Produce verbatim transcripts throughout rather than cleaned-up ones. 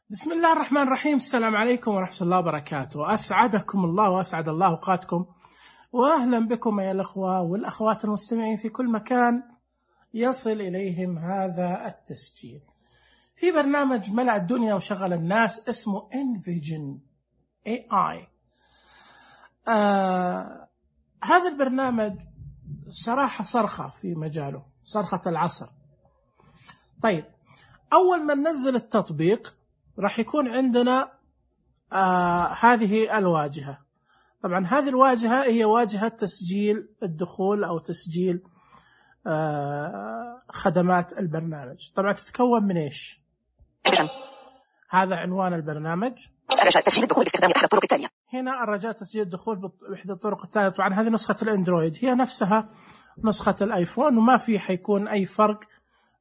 بسم الله الرحمن الرحيم. السلام عليكم ورحمة الله وبركاته. أسعدكم الله وأسعد الله أوقاتكم، وأهلا بكم يا الأخوة والأخوات المستمعين في كل مكان يصل إليهم هذا التسجيل في برنامج ملأ الدنيا وشغل الناس اسمه Envision إيه آي. آه هذا البرنامج صراحة صرخة في مجاله، صرخة العصر. طيب، أول ما ننزل التطبيق راح يكون عندنا آه هذه الواجهة. طبعا هذه الواجهة هي واجهة تسجيل الدخول أو تسجيل آه خدمات البرنامج. طبعا تتكون من إيش؟ هذا عنوان البرنامج، رجاء تسجيل الدخول باستخدام أحد الطرق التالية. هنا الرجاء تسجيل الدخول بإحدى الطرق التالية. طبعا هذه نسخة الأندرويد، هي نفسها نسخة الآيفون، وما في حيكون أي فرق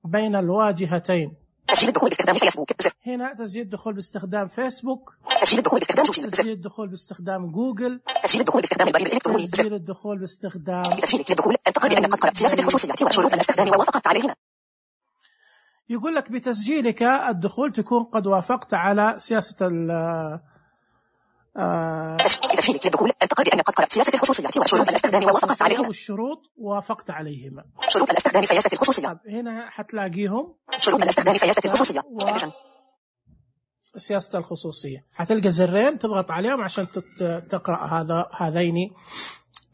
بين الواجهتين. تسجيل الدخول باستخدام فيسبوك زر. هنا تسجيل الدخول باستخدام فيسبوك، تسجيل الدخول باستخدام جوجل تسجيل الدخول باستخدام جوجل، تسجيل الدخول باستخدام البريد الإلكتروني تسجيل الدخول باستخدام بتسجيل الدخول أن تقر بأنك قد قرأت سياسة الخصوصية وشروط الاستخدام ووافقت عليهما. يقول لك بتسجيلك الدخول تكون قد وافقت على سياسة ال آه بتسجيلك للدخول أن تقر بأنك قد قرأت سياسة الخصوصية وشروط الاستخدام ووافقت عليهما. والشروط وافقت عليهما. شروط الاستخدام سياسة الخصوصية. طب هنا حتلاقيهم شروط الاستخدام سياسة الخصوصية و... سياسة الخصوصية. حتلقى زرين تضغط عليهم عشان تقرأ هذا هذين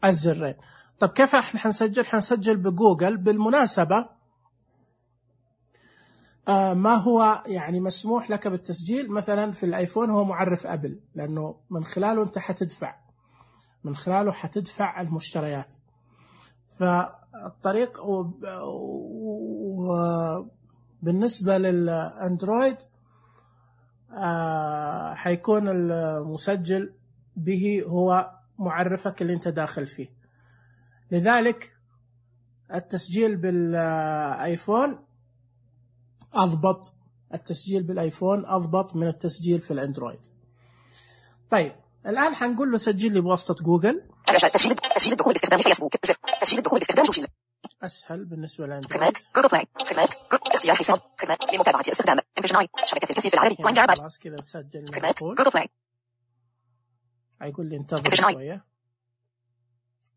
الزرين. طب كيف احنا حنسجل؟ حنسجل بجوجل. بالمناسبة آه ما هو يعني مسموح لك بالتسجيل مثلا في الايفون هو معرف ابل، لانه من خلاله انت حتدفع، من خلاله حتدفع المشتريات. فالطريق وبالنسبة للاندرويد آه حيكون المسجل به هو معرفك اللي انت داخل فيه. لذلك التسجيل بالايفون أضبط، التسجيل بالآيفون أضبط من التسجيل في الأندرويد. طيب الآن حنقول له سجل لي بواسطة جوجل. تسجيل تسجيل الدخول باستخدام فيسبوك زر. تسجيل الدخول باستخدام جوجل أسهل بالنسبة للأندرويد. خدمات جوجل بلاي، خدمات اختيار حساب، خدمات لمتابعة استخدام Envision إيه آي، شبكة الكفيف العربي وين جارباج. خلاص كذا نسجل. خدمات جوجل بلاي. هيقول لي انتظر شوية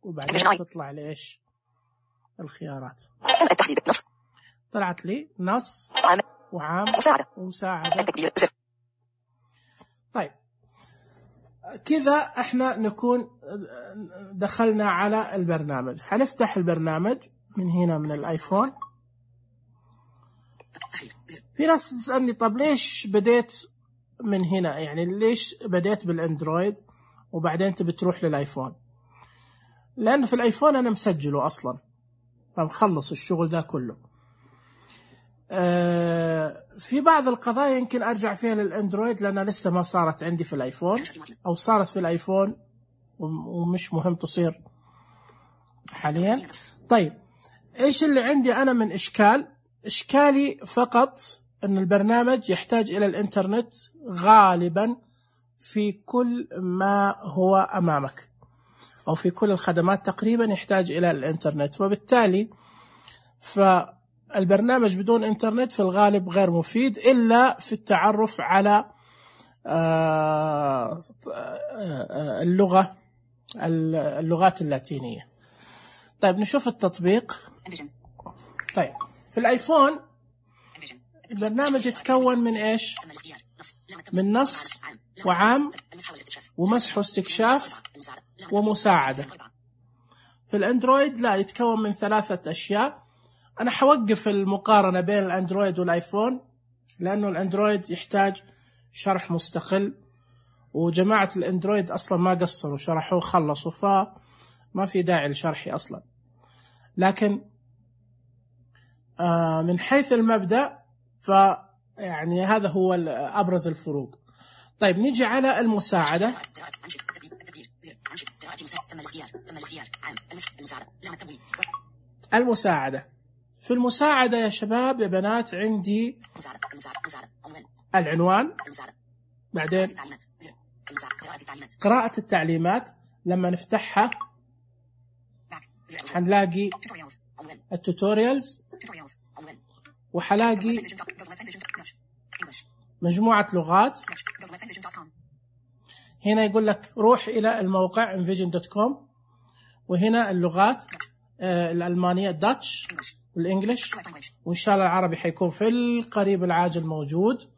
وبعدين تطلع لي إيش الخيارات. تم التحديد نص. طلعت لي نص عام وعام مساعدة ومساعدة. التكبير زر. طيب كذا احنا نكون دخلنا على البرنامج. حنفتح البرنامج من هنا من الايفون. في ناس تسألني طب ليش بديت من هنا، يعني ليش بديت بالاندرويد وبعدين انت بتروح للايفون؟ لان في الايفون انا مسجله اصلا، فمخلص الشغل ده كله. آه في بعض القضايا يمكن ارجع فيها للاندرويد لانها لسه ما صارت عندي في الايفون، او صارت في الايفون ومش مهم تصير حاليا. طيب ايش اللي عندي انا من اشكال؟ اشكالي فقط ان البرنامج يحتاج الى الانترنت غالبا في كل ما هو امامك، او في كل الخدمات تقريبا يحتاج الى الانترنت، وبالتالي فالبرنامج بدون انترنت في الغالب غير مفيد الا في التعرف على اللغة اللغات اللاتينية. طيب نشوف التطبيق. طيب في الايفون البرنامج يتكون من ايش؟ من نص وعام ومسح واستكشاف ومساعدة. في الاندرويد لا، يتكون من ثلاثة اشياء. انا حوقف المقارنة بين الاندرويد والايفون لانه الاندرويد يحتاج شرح مستقل، وجماعة الاندرويد اصلا ما قصروا، شرحوه خلصوا، فما في داعي لشرحي اصلا. لكن آه من حيث المبدأ فيعني هذا هو ابرز الفروق. طيب نيجي على المساعدة. المساعدة في المساعدة يا شباب يا بنات عندي العنوان، بعدين قراءة التعليمات. لما نفتحها حنلاقي التوتوريالز، وحلاقي مجموعة لغات. هنا يقول لك روح إلى الموقع انفيجن دوت كوم، وهنا اللغات الألمانية داتش والإنجليش، وإن شاء الله العربي حيكون في القريب العاجل موجود.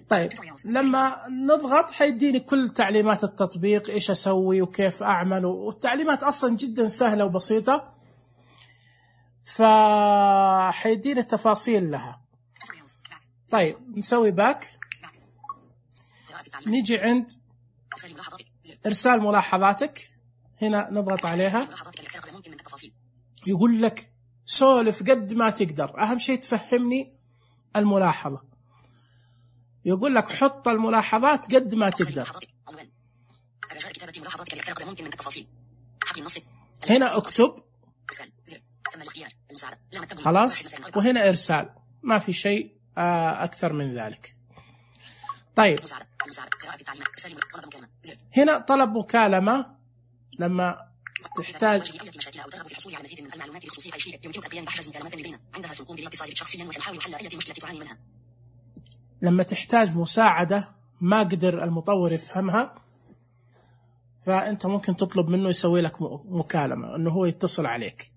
طيب لما نضغط حيديني كل تعليمات التطبيق، إيش أسوي وكيف أعمل، والتعليمات أصلا جدا سهلة وبسيطة، فحيديني التفاصيل لها. طيب نسوي باك، نيجي عند إرسال ملاحظاتك، هنا نضغط عليها. يقول لك سولف قد ما تقدر، أهم شيء تفهمني الملاحظة. يقول لك حط الملاحظات قد ما تقدر. هنا اكتب خلاص، وهنا إرسال، ما في شيء أكثر من ذلك. طيب هنا طلب مكالمة، لما تحتاج لما تحتاج مساعدة ما قدر المطور يفهمها، فأنت ممكن تطلب منه يسوي لك مكالمة، أنه هو يتصل عليك.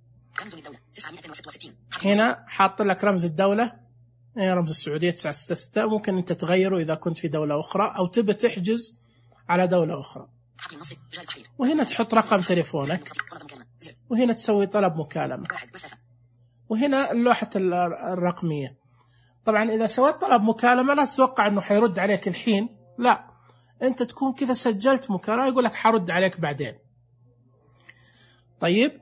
هنا حاط لك رمز الدولة، رمز السعودية تسعة ستة ستة، ممكن أنت تغيره إذا كنت في دولة أخرى أو تبي تحجز على دولة أخرى. وهنا تحط رقم تليفونك، وهنا تسوي طلب مكالمة، وهنا اللوحة الرقمية. طبعا إذا سويت طلب مكالمة لا تتوقع أنه حيرد عليك الحين، لا، أنت تكون كذا سجلت مكالمة يقول لك حرد عليك بعدين. طيب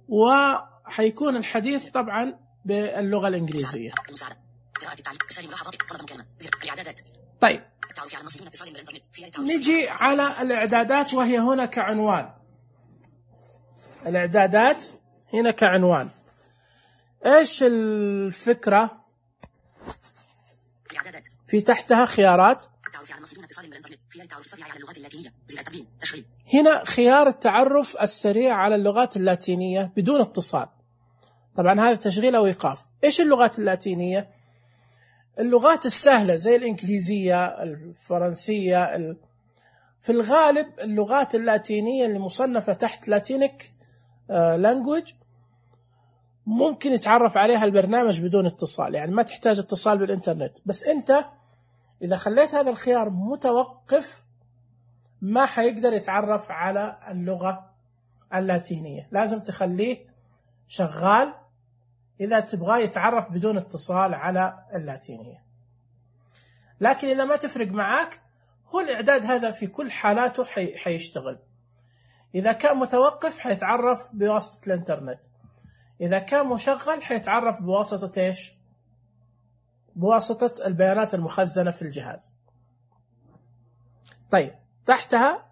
وحيكون الحديث طبعا باللغة الإنجليزية. طيب نجي على الإعدادات، وهي هنا كعنوان. الإعدادات هنا كعنوان. إيش الفكرة؟ في تحتها خيارات، هنا خيار التعرف السريع على اللغات اللاتينية بدون اتصال. طبعا هذا تشغيل أو إيقاف. إيش اللغات اللاتينية؟ اللغات السهلة زي الإنجليزية، الفرنسية، ال... في الغالب اللغات اللاتينية اللي مصنفة تحت لاتينيك لانجويج ممكن يتعرف عليها البرنامج بدون اتصال، يعني ما تحتاج اتصال بالإنترنت. بس أنت إذا خليت هذا الخيار متوقف ما حيقدر يتعرف على اللغة اللاتينية، لازم تخليه شغال إذا تبغاه يتعرف بدون اتصال على اللاتينية. لكن إذا ما تفرق معاك، هو الإعداد هذا في كل حالاته حي... حيشتغل. إذا كان متوقف حيتعرف بواسطة الإنترنت، إذا كان مشغل حيتعرف بواسطة إيش؟ بواسطة البيانات المخزنة في الجهاز. طيب تحتها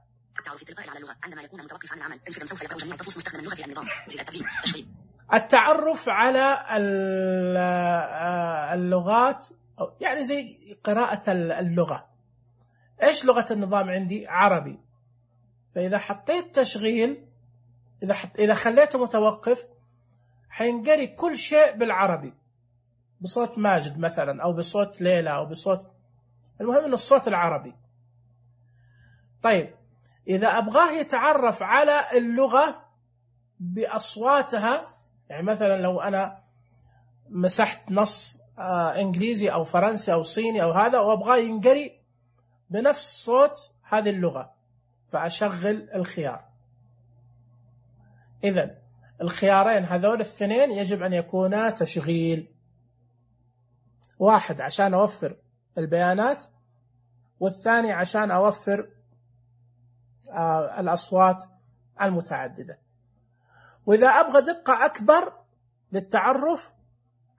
التعرف على اللغات، يعني زي قراءة اللغة. إيش لغة النظام عندي؟ عربي. فإذا حطيت تشغيل، إذا حط... إذا خليته متوقف حينقري كل شيء بالعربي بصوت ماجد مثلا، أو بصوت ليلى، أو بصوت، المهم إنه الصوت العربي. طيب إذا أبغاه يتعرف على اللغة بأصواتها، يعني مثلا لو أنا مسحت نص آه إنجليزي أو فرنسي أو صيني أو هذا، وأبغاه ينقري بنفس صوت هذه اللغة، فأشغل الخيار. إذن الخيارين هذول الاثنين يجب أن يكونا تشغيل، واحد عشان أوفر البيانات، والثاني عشان أوفر آه الأصوات المتعددة. وإذا أبغى دقة أكبر للتعرف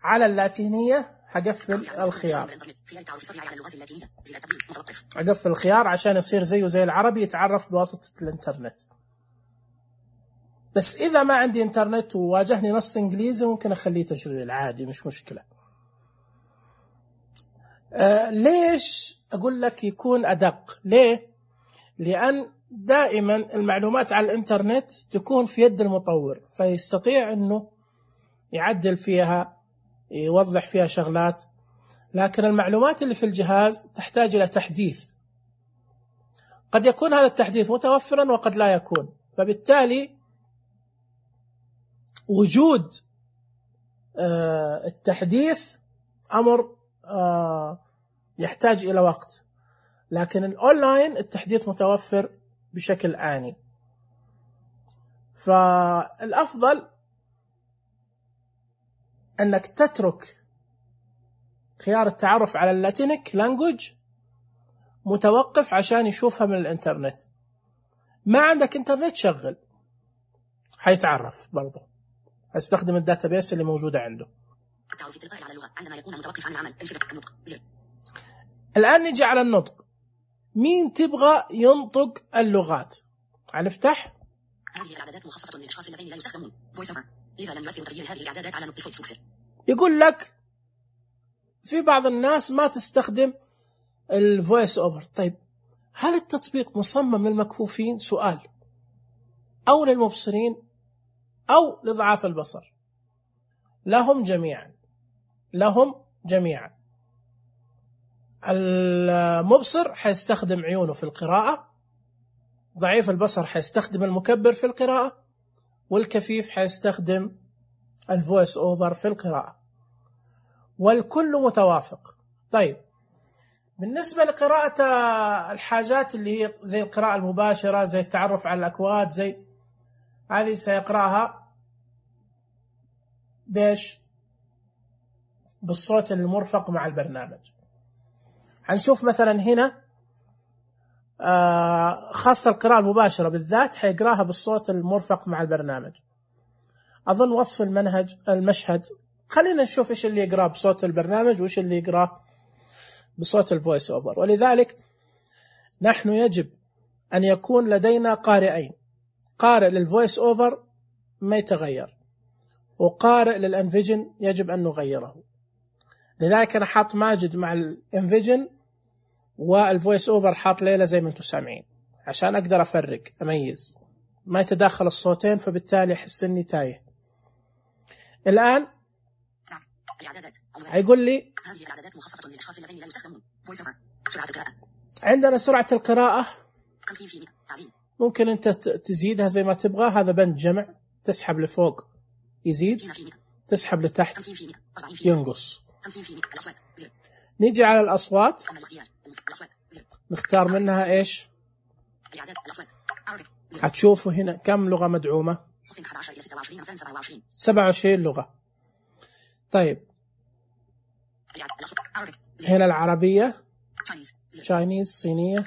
على اللاتينية حقفل الخيار، أقفل الخيار عشان يصير زيه زي العربي، يتعرف بواسطة الإنترنت. بس إذا ما عندي إنترنت وواجهني نص إنجليزي ممكن أخليه تشغيل عادي، مش مشكلة. آه ليش أقول لك يكون أدق؟ ليه؟ لأن دائما المعلومات على الإنترنت تكون في يد المطور، فيستطيع أنه يعدل فيها، يوضح فيها شغلات. لكن المعلومات اللي في الجهاز تحتاج إلى تحديث. قد يكون هذا التحديث متوفرا وقد لا يكون، فبالتالي وجود التحديث أمر يحتاج إلى وقت، لكن الأونلاين التحديث متوفر بشكل آني. فالأفضل أنك تترك خيار التعرف على اللاتينيك لانجوج متوقف عشان يشوفها من الإنترنت. ما عندك إنترنت شغل، حيتعرف برضه، استخدم الداتابيس اللي موجودة عنده. الآن نجي على النطق. مين تبغى ينطق اللغات؟ هنفتح. هذه الإعدادات مخصصة للأشخاص الذين لا يستخدمون فويس اوفر، لذا لم يؤثر تغيير هذه الإعدادات على نطق فويس اوفر. يقول لك في بعض الناس ما تستخدم الفويس اوفر. طيب هل التطبيق مصمم للمكفوفين؟ سؤال. أو للمبصرين أو لضعاف البصر؟ لهم جميعا، لهم جميعا. المبصر حيستخدم عيونه في القراءة، ضعيف البصر حيستخدم المكبر في القراءة، والكفيف حيستخدم الفويس اوفر في القراءة، والكل متوافق. طيب بالنسبة لقراءة الحاجات اللي هي زي القراءة المباشرة، زي التعرف على الأكواد، زي هذه سيقرأها بيش بالصوت المرفق مع البرنامج. هنشوف مثلا هنا خاصة القراءة المباشرة بالذات حيقراها بالصوت المرفق مع البرنامج. أظن وصف المنهج المشهد، خلينا نشوف إيش اللي يقرأ بصوت البرنامج وإيش اللي يقرأ بصوت الفويس أوفر. ولذلك نحن يجب أن يكون لدينا قارئين، قارئ للفويس أوفر ما يتغير، وقارئ للأنفيجن يجب أن نغيره. لذلك أنا حاط ماجد مع الانفيجن والفويس اوفر حاط ليلى زي ما انتم سامعين، عشان اقدر افرق اميز، ما يتداخل الصوتين، فبالتالي احس اني تايه. الان هيقول لي هذه الاعدادات مخصصه للاشخاص الذين لا يستخدمون فويس اوفر. سرعه القراءه، عندنا سرعه القراءه خمسين بالمئة تعديل، ممكن انت تزيدها زي ما تبغى. هذا بند جمع، تسحب لفوق يزيد، تسحب لتحت ينقص. نيجي على الأصوات، نختار منها إيش؟ هتشوفوا هنا كم لغة مدعومة؟ سبعة وعشرين لغة. طيب هنا العربية، تشاينيز، صينية،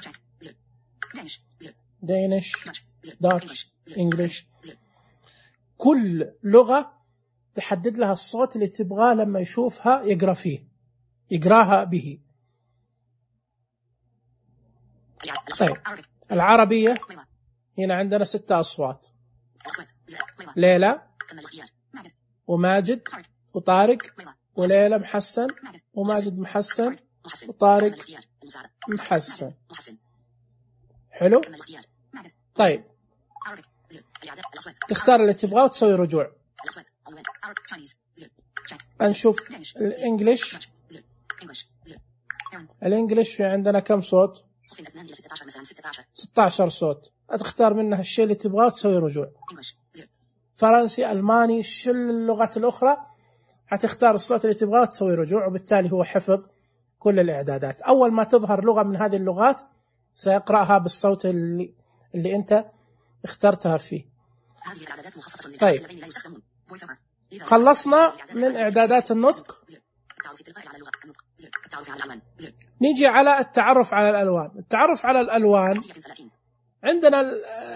دينش، داتش، إنجليش. كل لغة تحدد لها الصوت اللي تبغاه لما يشوفها يقرأ فيه، يقراها به. طيب العربية هنا عندنا ستة أصوات، ليلى وماجد وطارق، وليلى محسن وماجد محسن وطارق محسن. حلو. طيب تختار اللي تبغاه وتسوي رجوع. نشوف الانجليش. الانجليش في عندنا كم صوت؟ ستة عشر صوت. تختار منها الشيء اللي تبغاه وتسوي رجوع. فرنسي، الماني، شل اللغات الاخرى هتختار الصوت اللي تبغاه وتسوي رجوع، وبالتالي هو حفظ كل الاعدادات. اول ما تظهر لغة من هذه اللغات سيقرأها بالصوت اللي اللي انت اخترتها فيه. طيب خلصنا من إعدادات النطق. نيجي على التعرف على الألوان. التعرف على الألوان عندنا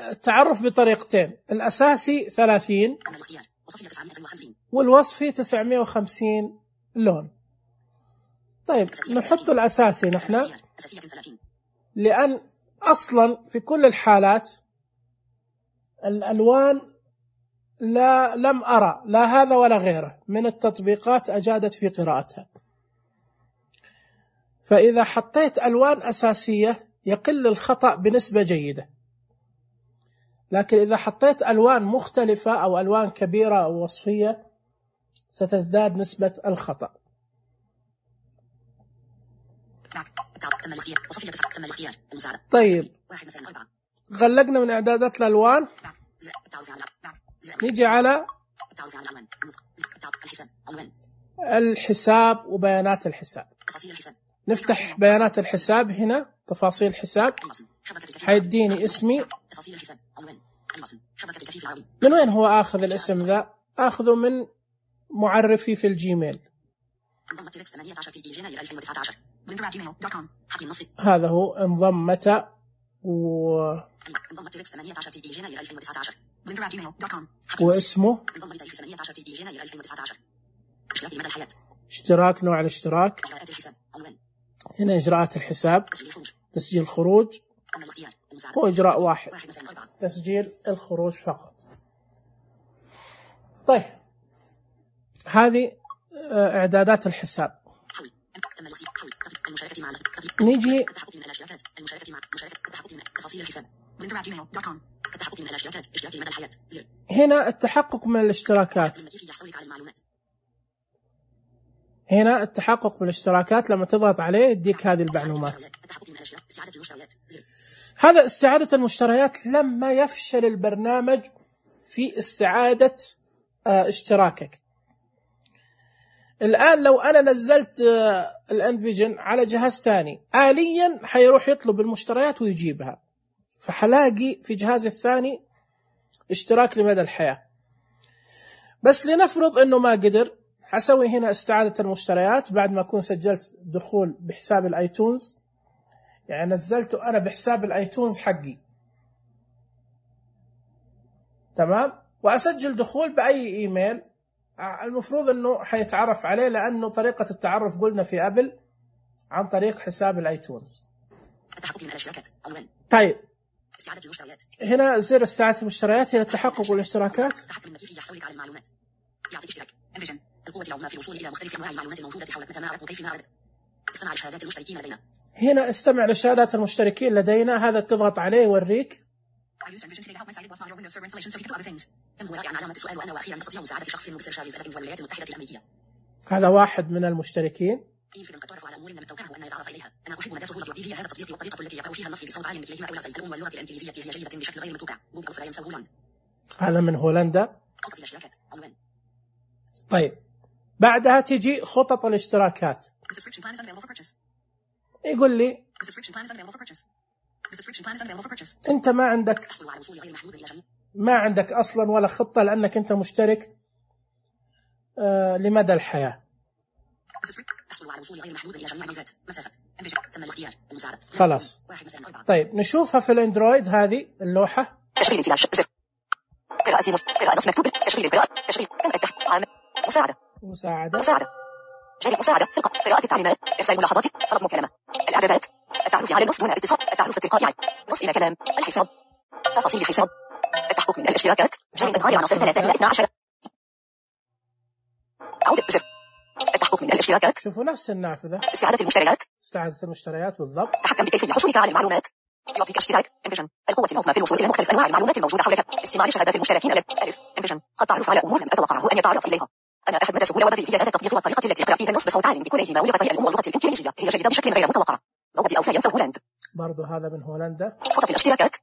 التعرف بطريقتين، الأساسي ثلاثين والوصفي تسعمائة وخمسين لون. طيب نحط الأساسي نحن، لأن أصلا في كل الحالات الألوان لا لم أرى لا هذا ولا غيره من التطبيقات أجادت في قراءتها. فإذا حطيت ألوان أساسية يقل الخطأ بنسبة جيدة، لكن إذا حطيت ألوان مختلفة أو ألوان كبيرة أو وصفية ستزداد نسبة الخطأ. تم الاختيار. وصفية تسعة. تم الاختيار. المساعدة. طيب واحد مساء أربعة. غلقنا من إعدادات الألوان. التعرف على نيجي على التعرف على العنوان. الحساب. عنوان. الحساب وبيانات الحساب. تفاصيل الحساب. نفتح بيانات الحساب هنا، تفاصيل الحساب، حيديني اسمي. تفاصيل الحساب. عنوان. شبكة الكفيف العربي. من وين هو آخذ الاسم ذا؟ آخذه من معرفي في الجيميل. هذا هو انضم متى و واسمه اشتراك، نوع الاشتراك. هنا إجراءات الحساب. تسجيل خروج. هو إجراء واحد، تسجيل الخروج فقط. طيب هذه إعدادات الحساب. نيجي هنا التحقق من الاشتراكات. هنا التحقق من الاشتراكات، لما تضغط عليه يديك هذه المعلومات. هذا استعادة المشتريات لما يفشل البرنامج في استعادة اشتراكك. الآن لو أنا نزلت الانفيجن على جهاز ثاني، آليا حيروح يطلب المشتريات ويجيبها، فحلاقي في جهازي الثاني اشتراك لمدى الحياة. بس لنفرض أنه ما قدر، حسوي هنا استعادة المشتريات بعد ما أكون سجلت دخول بحساب الآيتونز، يعني نزلته أنا بحساب الآيتونز حقي، تمام، وأسجل دخول بأي إيميل المفروض أنه حيتعرف عليه، لأنه طريقة التعرف قلنا في أبل عن طريق حساب الآيتونز. طيب هنا زر استعادة المشتريات، هنا التحقق والاشتراكات. القوة العظمى في الوصول إلى مختلف أنواع المعلومات الموجودة حولك متى ما أردت وكيف ما أردت. استمع لشهادات المشتركين لدينا. هنا استمع لشهادات المشتركين لدينا، هذا تضغط عليه يوريك. هذا واحد من المشتركين. أنا أحب مدى سهولة تطبيقه هذا التطبيق والطريقة التي يقرأ فيها النص بصوت عال مثلهما أولى الأم واللغة الإنجليزية هي جيدة بشكل غير متوقع. جوجل فلا ينسى هولاند. هذا من هولندا. خطط الاشتراكات. عنوان. طيب بعدها تجي خطط الاشتراكات. يقول لي أنت ما عندك ما عندك أصلا ولا خطة، لأنك أنت مشترك آه لمدى الحياة. خلاص. طيب نشوفها في الأندرويد، هذه اللوحة. تشغيل الفلاش. قراءة نص قراءة نص مكتوب. تشغيل القراءة. تشغيل تم التحت. عام. مساعدة. مساعدة. مساعدة. جري مساعدة. ثقة. قراءة التعليمات. إرسال ملاحظات. طلب مكالمة. الإعدادات. التعرف على النص دون اتصال. التعرف التلقائي. نص إلى كلام. الحساب. تفاصيل الحساب. التحقق من الاشتراكات. جري إظهار عناصر ثلاثة إلى اثني عشر. عودة زر. التحقق من الاشتراكات. شوفوا نفس النافذة. استعادة المشتريات. استعادة المشتريات بالضبط. تحكم بكيفية حصولك على المعلومات. يعطيك اشتراك. انفيجن. القوة العظمى في الوصول إلى مختلف أنواع المعلومات الموجودة حولك. استماع لشهادات المشتركين. ألف. انفيجن. التعرف على أمور لم أتوقعه أن يتعرف إليها. أنا أحب مدى سهولة وبديهية هذا التطبيق والطريقة التي يقرأ فيها النص بصوت عال بكليهما ولغتي الأم واللغة الإنجليزية هي جيدة بشكل غير متوقع. موجود أو فلا ينسى هولاند. برضو هذا من هولندا. خطط الاشتراكات.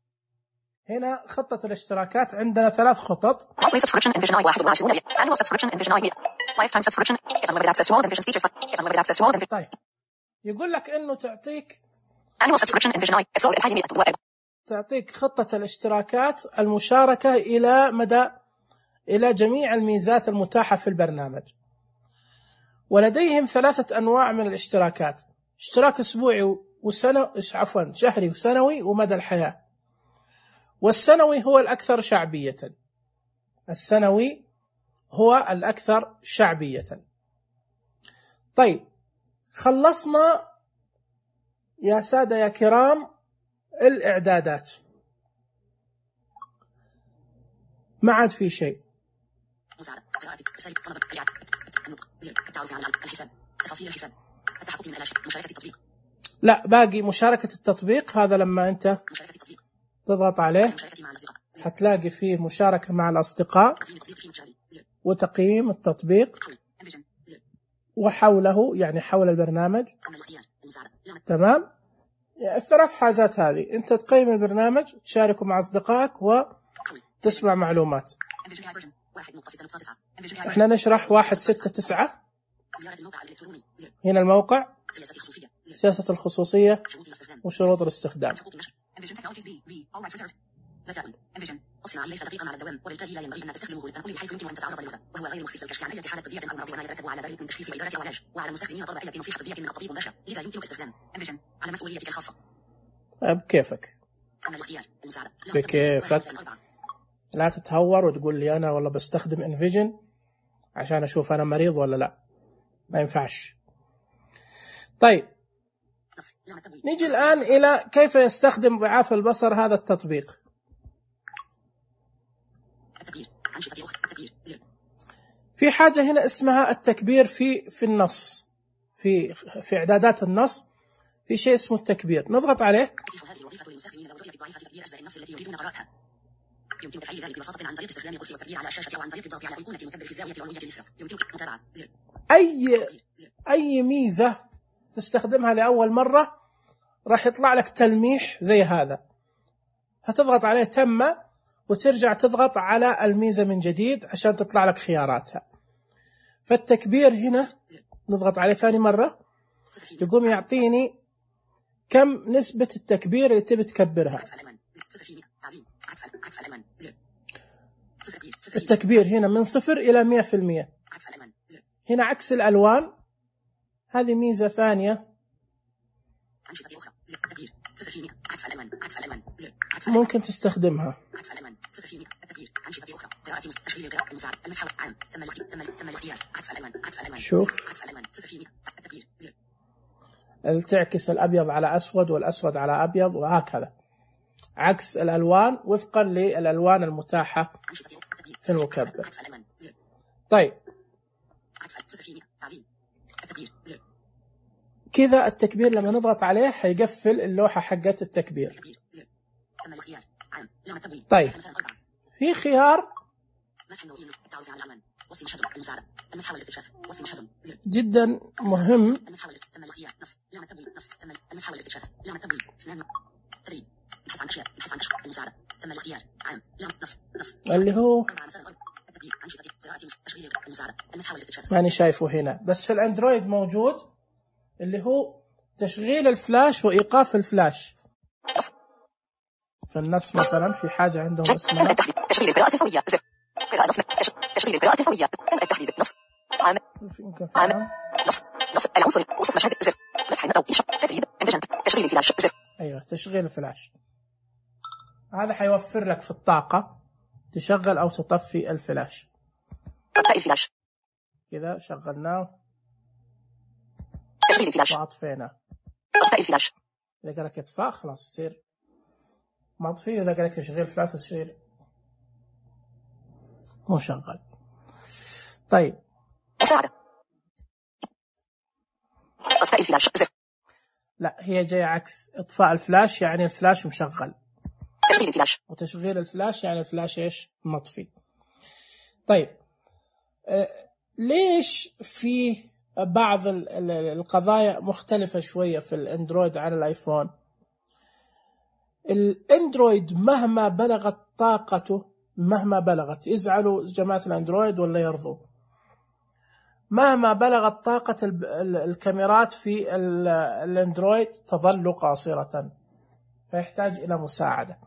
هنا خطة الاشتراكات عندنا ثلاث خطط. Monthly subscription Envision I واحد وعشرين ريال. Annual subscription Envision I Lifetime subscription. Get unlimited access to all Envision's features. Get unlimited access to all Envision. طيب يقول لك إنه تعطيك Annual subscription Envision I أسعار الحالية مئة وواحد. تعطيك خطة الاشتراكات المشاركة إلى مدى إلى جميع الميزات المتاحة في البرنامج. ولديهم ثلاثة أنواع من الاشتراكات: اشتراك أسبوعي وسنة عفوا شهري وسنوي ومدى الحياة. والسنوي هو الأكثر شعبية. السنوي هو الأكثر شعبية. طيب خلصنا يا سادة يا كرام الإعدادات، ما عاد في شيء. لا باقي مشاركة التطبيق. هذا لما أنت تضغط عليه هتلاقي فيه مشاركة مع الأصدقاء وتقييم التطبيق وحوله، يعني حول البرنامج. تمام. الثلاث حاجات هذه أنت تقيم البرنامج، تشاركه مع أصدقائك، وتسمع معلومات. احنا نشرح واحد ستة تسعة. هنا الموقع، سياسة الخصوصية وشروط الاستخدام. الصناعي ليس دقيقا على الدوام، وبالتالي لا ينبغي ان تستخدمه للتنقل بحيث يمكن ان تتعرض للوباء، وهو غير مخصص للكشف عن اي حاله طبيه او مرض وما يترتب على ذلك من تشخيص واداره او علاج، وعلى المستخدمين طلب اي نصيحه طبيه من الطبيب مباشره، لذا يمكن استخدام انفيجن على مسؤوليتك الخاصه. بكيفك بكيفك لا تتهور وتقول لي انا والله بستخدم انفيجن عشان اشوف انا مريض ولا لا، ما ينفعش. طيب نيجي الان الى كيف يستخدم ضعاف البصر هذا التطبيق. في حاجة هنا اسمها التكبير في في النص، في في إعدادات النص في شيء اسمه التكبير، نضغط عليه. يمكن تفعيل ذلك ببساطة عن طريق استخدام القرص والتكبير على الشاشة أو عن طريق الضغط على أيقونة المكبر في الزاوية العلوية اليسرى. يمكنك متابعة أي أي ميزة تستخدمها لأول مرة راح يطلع لك تلميح زي هذا، هتضغط عليه تم وترجع تضغط على الميزة من جديد عشان تطلع لك خياراتها. فالتكبير هنا نضغط عليه ثاني مرة يقوم يعطيني كم نسبة التكبير اللي تبي تكبرها. التكبير هنا من صفر إلى مئة في المئة. هنا عكس الألوان، هذه ميزة ثانية ممكن تستخدمها. شوف تعكس الأبيض على أسود والأسود على أبيض وهكذا، عكس الألوان وفقا للألوان المتاحة في المكبر. طيب كذا التكبير لما نضغط عليه حيقفل اللوحة حقت التكبير. طيب في خيار جدا مهم اللي هو ماني شايفه هنا بس في الاندرويد موجود، اللي هو تشغيل الفلاش وإيقاف الفلاش. في النص مثلا في حاجة عندهم اسمها تشغيل القراءة الفورية، زر قراءة نص، تشغيل القراءة الفورية، تم التحديد، نص عام عام نص نص العنصري وصف مشهد، زر مسح أو إنشاء تبريد انفجنت، تشغيل الفلاش، زر أيوه تشغيل الفلاش. هذا حيوفر لك في الطاقة تشغل أو تطفي الفلاش. إطفاء الفلاش كذا شغلناه، تشغيل الفلاش وأطفينا. إطفاء الفلاش إذا قال لك إطفاء خلاص يصير مطفي، إذا قال لك تشغيل فلاش يصير مشغل. طيب مساعدة إطفاء الفلاش، زر لا هي جاية عكس، إطفاء الفلاش يعني الفلاش مشغل، تشغيل الفلاش وتشغيل الفلاش يعني الفلاش إيش مطفي. طيب آه ليش في بعض القضايا مختلفة شوية في الأندرويد عن الآيفون؟ الأندرويد مهما بلغت طاقته، مهما بلغت، يزعلوا جماعة الأندرويد ولا يرضوا، مهما بلغت طاقة الكاميرات في الأندرويد تظل قاصرة، فيحتاج إلى مساعدة،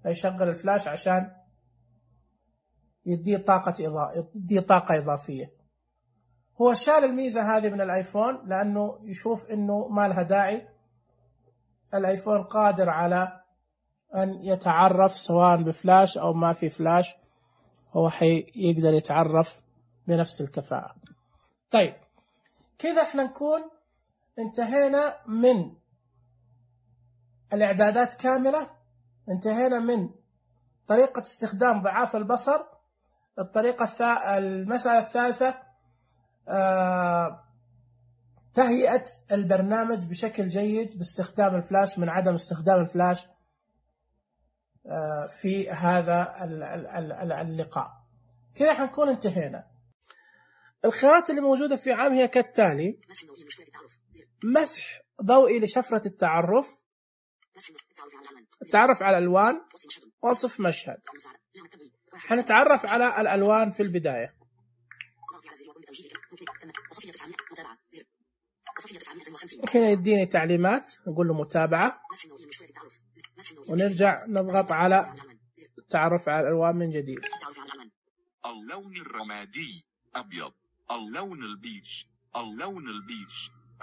فيشغل الفلاش عشان يديه طاقة إضافية، يديه طاقة إضافية. هو شال الميزة هذه من الآيفون لأنه يشوف إنه ما لها داعي، الآيفون قادر على أن يتعرف سواء بفلاش أو ما في فلاش، هو يقدر يتعرف بنفس الكفاءة. طيب كذا احنا نكون انتهينا من الإعدادات كاملة، انتهينا من طريقة استخدام ضعاف البصر. الطريقة الث... المسألة الثالثة آه... تهيئة البرنامج بشكل جيد باستخدام الفلاش من عدم استخدام الفلاش آه في هذا اللقاء. كذا حنكون انتهينا. الخيارات اللي موجودة في عام هي كالتالي: مسح ضوئي لشفرة التعرف، التعرف على الألوان، وصف مشهد. حنتعرف على الألوان في البداية. هنا يديني تعليمات، نقول له متابعة، ونرجع نضغط على التعرف على الألوان من جديد. اللون الرمادي أبيض، اللون البيج، اللون البيج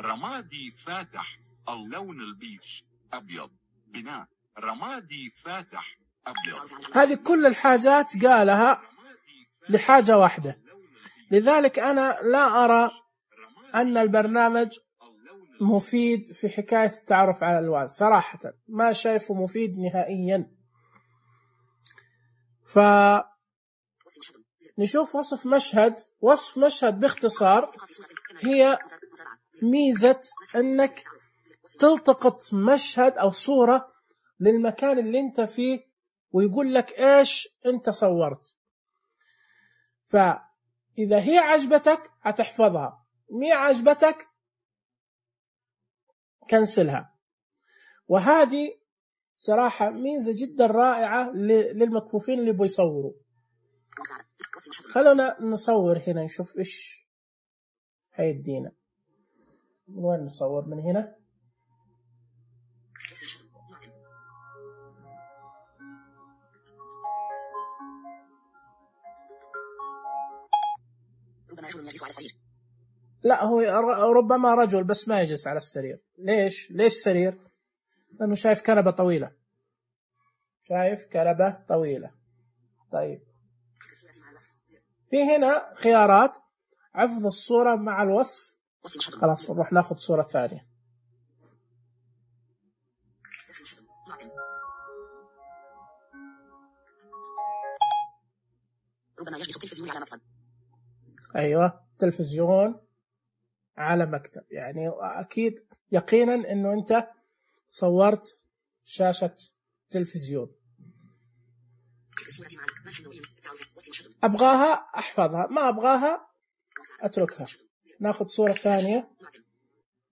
رمادي فاتح، اللون البيج أبيض، بناء رمادي فاتح أبيض. هذه كل الحاجات قالها لحاجة واحدة، لذلك أنا لا أرى أن البرنامج مفيد في حكاية التعرف على الألوان، صراحة ما شايفه مفيد نهائيا. فنشوف وصف مشهد. وصف مشهد باختصار هي ميزة أنك تلتقط مشهد أو صورة للمكان اللي انت فيه ويقول لك ايش انت صورت. فإذا هي عجبتك هتحفظها، مي عجبتك كنسلها. وهذه صراحة ميزة جدا رائعة للمكفوفين اللي بيصوروا. خلونا نصور هنا نشوف ايش هيدينا. من وين نصور؟ من هنا. لا هو ربما رجل بس ما يجلس على السرير. ليش؟ ليش سرير؟ لأنه شايف كنبة طويلة، شايف كنبة طويلة. طيب في هنا خيارات حفظ الصورة مع الوصف. خلاص نروح ناخذ صورة ثانية. ربما يجلس التلفزيون على مكتب. أيوة تلفزيون على مكتب، يعني أكيد يقينا أنه أنت صورت شاشة تلفزيون. أبغاها أحفظها، ما أبغاها أتركها. ناخذ صورة ثانية.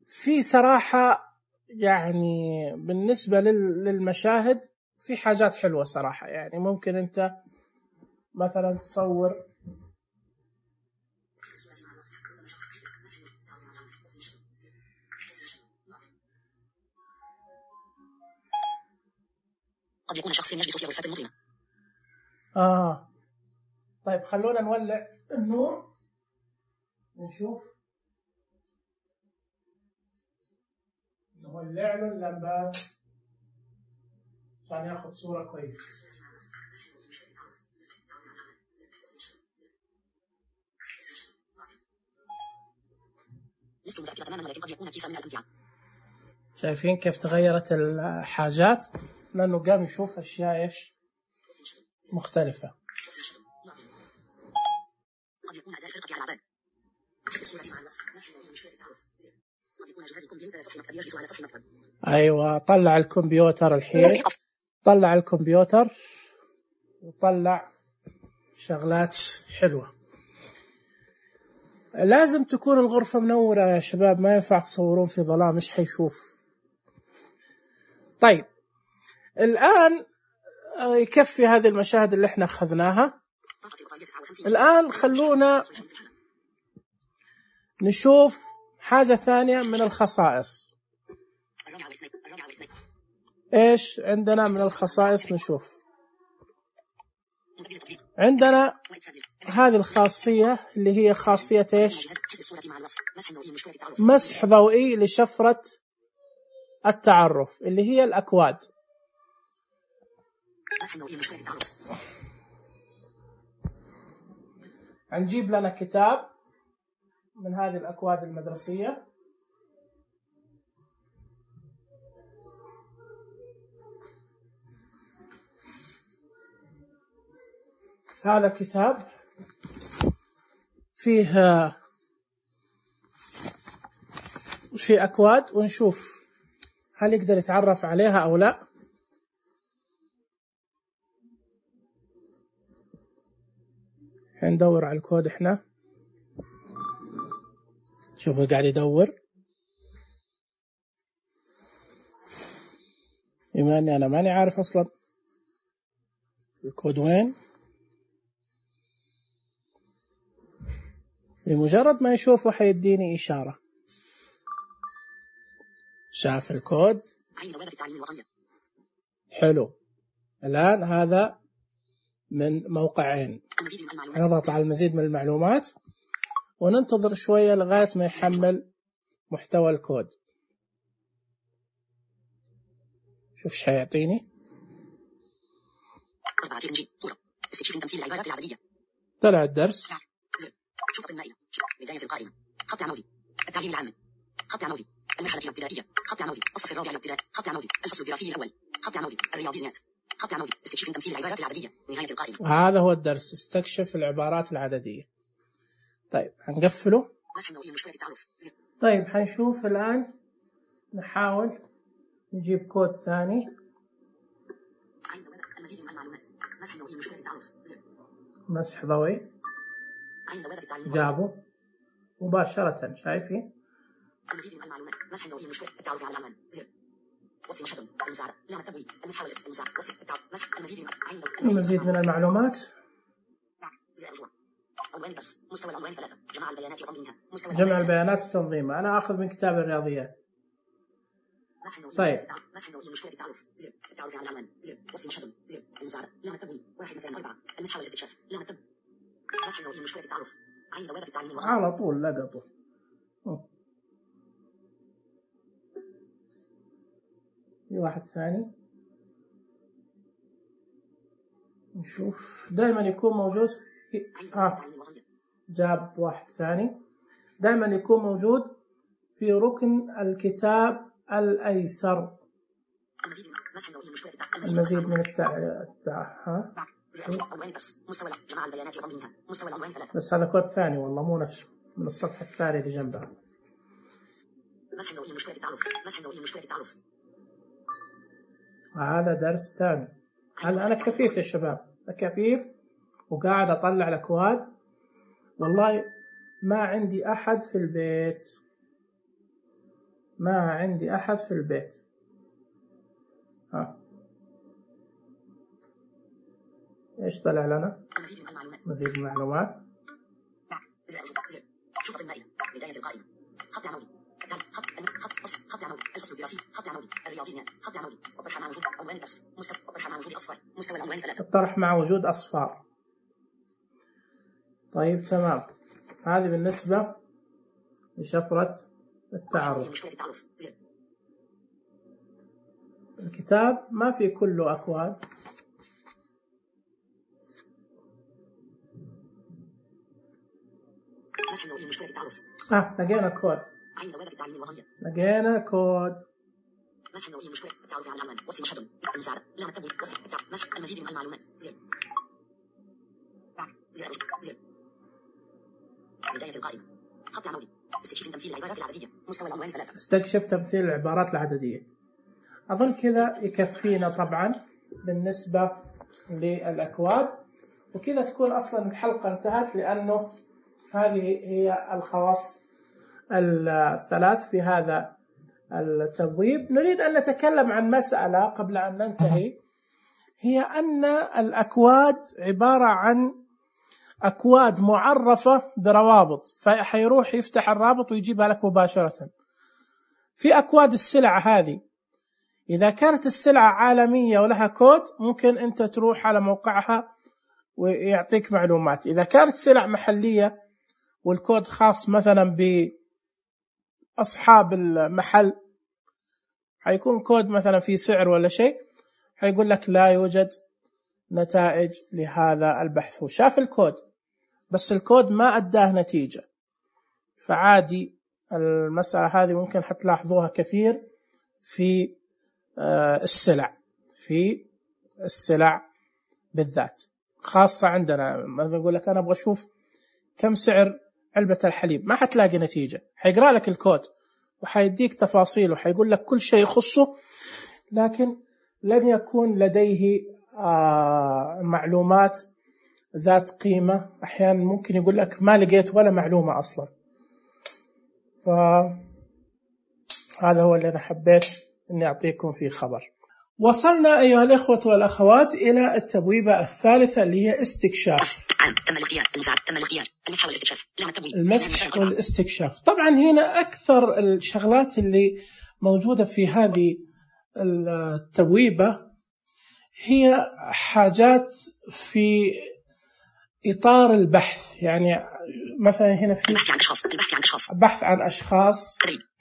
في صراحة يعني بالنسبة للمشاهد في حاجات حلوة صراحة، يعني ممكن أنت مثلا تصور قد يكون شخص يجلس في غرفة مظلمة. آه طيب خلونا نولع النور نشوف. نولع له اللمبات عشان ياخذ صورة كويسة. لست متأكدة تماما ولكن قد يكون كيسا من الأمتعة. شايفين كيف تغيرت الحاجات؟ لأنه قام يشوف أشياء إيش مختلفة. قد يكون أداء فرقة على الأعداد. قد يكون جهاز الكمبيوتر سطح مكتب يجلس على سطح مكتب. أيوة طلع الكمبيوتر الحين، طلع الكمبيوتر وطلع شغلات حلوة. لازم تكون الغرفة منورة يا شباب، ما ينفع تصورون في ظلام، إيش حيشوف؟ طيب الآن يكفي هذه المشاهد اللي احنا أخذناها. الآن خلونا نشوف حاجة ثانية من الخصائص. إيش عندنا من الخصائص؟ نشوف عندنا هذه الخاصية اللي هي خاصية إيش؟ مسح ضوئي لشفرة التعرف اللي هي الأكواد. هنجيب لنا كتاب من هذه الأكواد المدرسية. هذا كتاب فيه فيه أكواد، ونشوف هل يقدر يتعرف عليها أو لا. ندور على الكود احنا. شوفوا قاعد يدور. بما أني أنا ماني عارف أصلا الكود وين، بمجرد ما يشوفه حيديني إشارة. شاف الكود، حلو. الآن هذا من موقعين، نضغط على المزيد من المعلومات وننتظر شوية لغاية ما يحمل محتوى الكود. شوف ايش حيعطيني. طلع الدرس. شرطة المائية، بداية القائمة، خط عمودي، التعليم العام، خط عمودي، المرحلة الابتدائية، خط عمودي، الصف الرابع الابتدائي، خط عمودي، الفصل الدراسي الأول، خط عمودي، الرياضيات، خط عمودي، استكشف تمثيل العبارات العددية، نهاية القائمة. هذا هو الدرس، استكشف العبارات العددية. طيب هنقفله. طيب حنشوف الآن، نحاول نجيب كود ثاني. مسح ضوئي، جابه مباشرة، شايفين؟ المزيد من المعلومات، مسح النوعية المشتركة، التعرف على العنوان، زر، وصف مشهد، المساعدة، لام التبويب، المسح والاسم، المساعدة، وصف التعرف، مسح المزيد من المزيد من المعلومات. زر الرجوع، عنوان الدرس، مستوى العنوان ثلاثة، جمع البيانات وتنظيمها، مستوى جمع البيانات وتنظيمها. أنا آخذ من كتاب الرياضيات. طيب مسح النوعية المشتركة، التعرف، زر، التعرف على العنوان، زر، وصف مشهد، زر، المساعدة، لام التبويب، واحد مثلا أربعة، المسح والاستكشاف، لام التبويب، مسح النوعية المشتركة، التعرف، عين دوائر التعليم الوطني. على طول لقطه. في واحد ثاني نشوف، دائما يكون موجود في... آه. جاب واحد ثاني، دائما يكون موجود في ركن الكتاب الأيسر. المزيد من التع... ها بس هذا كود ثاني والله، مو نفسه، من الصفحة الثانية اللي جنبها. هذا درس ثاني. هذا أنا كفيف يا شباب، كفيف وقاعد أطلع الأكواد. والله ما عندي أحد في البيت، ما عندي أحد في البيت. ها إيش طلع لنا؟ مزيد من المعلومات. شرطة المائية، بداية القائمة، خط عمودي، خط خط خط عمودي، الفصل الدراسي، خط عمودي، الرياضيات، خط عمودي، الطرح مع وجود عنوان الدرس، مستوى الطرح مع وجود أصفار، مستوى العنوان ثلاثة. الطرح مع وجود أصفار. طيب تمام، هذه بالنسبة لشفرة التعرف. الكتاب ما في كله أكواد. آه لقينا كود، لقينا كود. مسح النوعية المشتركة، التعرف على العنوان، وصف مشهد، المساعدة، لام التبويب، وصف التعرف، مسح المزيد من المعلومات، زر، زر، زر، بداية القائمة، خط عمودي، استكشف تمثيل العبارات العددية، مستوى العنوان ثلاثة. استكشف تمثيل العبارات العددية. أظن كذا يكفينا طبعا بالنسبة للأكواد، وكذا تكون أصلا الحلقة انتهت، لأنه هذه هي الخواص الثلاث في هذا التبويب. نريد أن نتكلم عن مسألة قبل أن ننتهي، هي أن الأكواد عبارة عن أكواد معرفة بروابط، فحيروح يفتح الرابط ويجيبها لك مباشرة. في أكواد السلع هذه، إذا كانت السلعة عالمية ولها كود ممكن أنت تروح على موقعها ويعطيك معلومات. إذا كانت سلع محلية والكود خاص مثلا بأصحاب المحل، حيكون كود مثلا في سعر ولا شيء، حيقول لك لا يوجد نتائج لهذا البحث. هو شاف الكود بس الكود ما أداه نتيجة. فعادي المسألة هذه ممكن حتلاحظوها كثير في السلع، في السلع بالذات، خاصة عندنا. مثلا يقول لك أنا أبغى أشوف كم سعر علبة الحليب، ما حتلاقي نتيجة. حيقرأ لك الكود وحيديك تفاصيل وحيقول لك كل شيء يخصه، لكن لن يكون لديه آه معلومات ذات قيمة. أحيانا ممكن يقول لك ما لقيت ولا معلومة أصلا. فهذا هو اللي أنا حبيت أني أعطيكم فيه خبر. وصلنا أيها الإخوة والأخوات إلى التبويبة الثالثة اللي هي استكشاف. تم الاختيار المساعد تم الاختيار المسح والاستكشاف لام التبويب المسح والاستكشاف. طبعا هنا أكثر الشغلات اللي موجودة في هذه التبويبة هي حاجات في إطار البحث. يعني مثلا هنا في البحث عن اشخاص البحث عن اشخاص بحث عن أشخاص،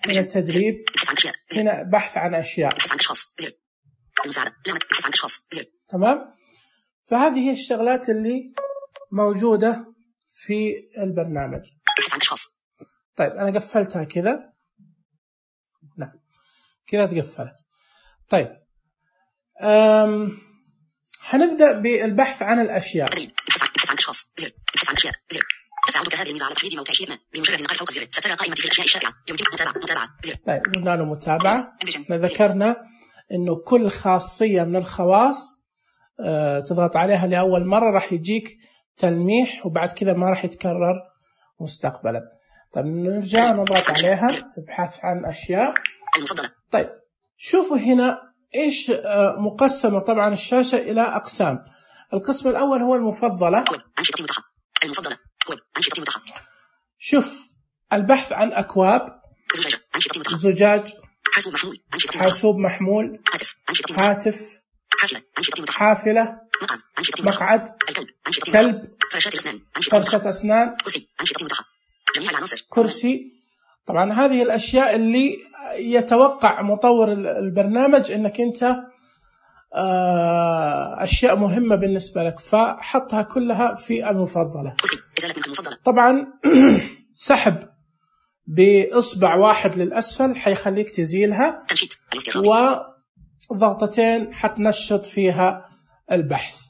هنا تدريب، البحث عن اشياء هنا بحث عن أشياء. البحث عن اشخاص زر المساعدة لام البحث عن اشخاص زر. تمام. فهذه هي الشغلات اللي موجودة في البرنامج. البحث عن اشخاص. طيب أنا قفلتها كذا. نعم كذا تقفلت. طيب أم حنبدأ بالبحث عن الأشياء. البحث عن اشخاص زر البحث عن اشياء زر. تساعدك هذه الميزة على تحديد موقع شيء ما بمجرد النقر فوق الزر سترى قائمة في الأشياء الشائعة يمكنك متابعة متابعة زر. طيب قلنا له متابعة. ذكرنا إنه كل خاصية من الخواص أه تضغط عليها لأول مرة راح يجيك تلميح وبعد كذا ما راح يتكرر مستقبلا. طيب نرجع نضغط عليها ابحث عن أشياء المفضلة. طيب شوفوا هنا إيش أه مقسمة طبعا الشاشة إلى أقسام. القسم الأول هو المفضلة. أنشطة متاحة المفضلة كويب أنشطة متاحة. شوف البحث عن أكواب زجاج أنشطة متاحة. زجاج حاسوب محمول أنشطة متاحة. حاسوب محمول هاتف أنشطة متاحة. هاتف حافلة أنشطة متاحة. حافلة مقعد أنشطة متاحة. مقعد الكلب أنشطة متاحة. كلب فرشاة الأسنان أنشطة متاحة. فرشة أسنان كرسي أنشطة متاحة. جميع العناصر كرسي. طبعا هذه الأشياء اللي يتوقع مطور البرنامج أنك أنت أشياء مهمة بالنسبة لك فحطها كلها في المفضلة. كرسي إزالة من المفضلة. طبعا سحب بإصبع واحد للأسفل حيخليك تزيلها تنشيط الافتراضي. وضغطتين حتنشط فيها البحث.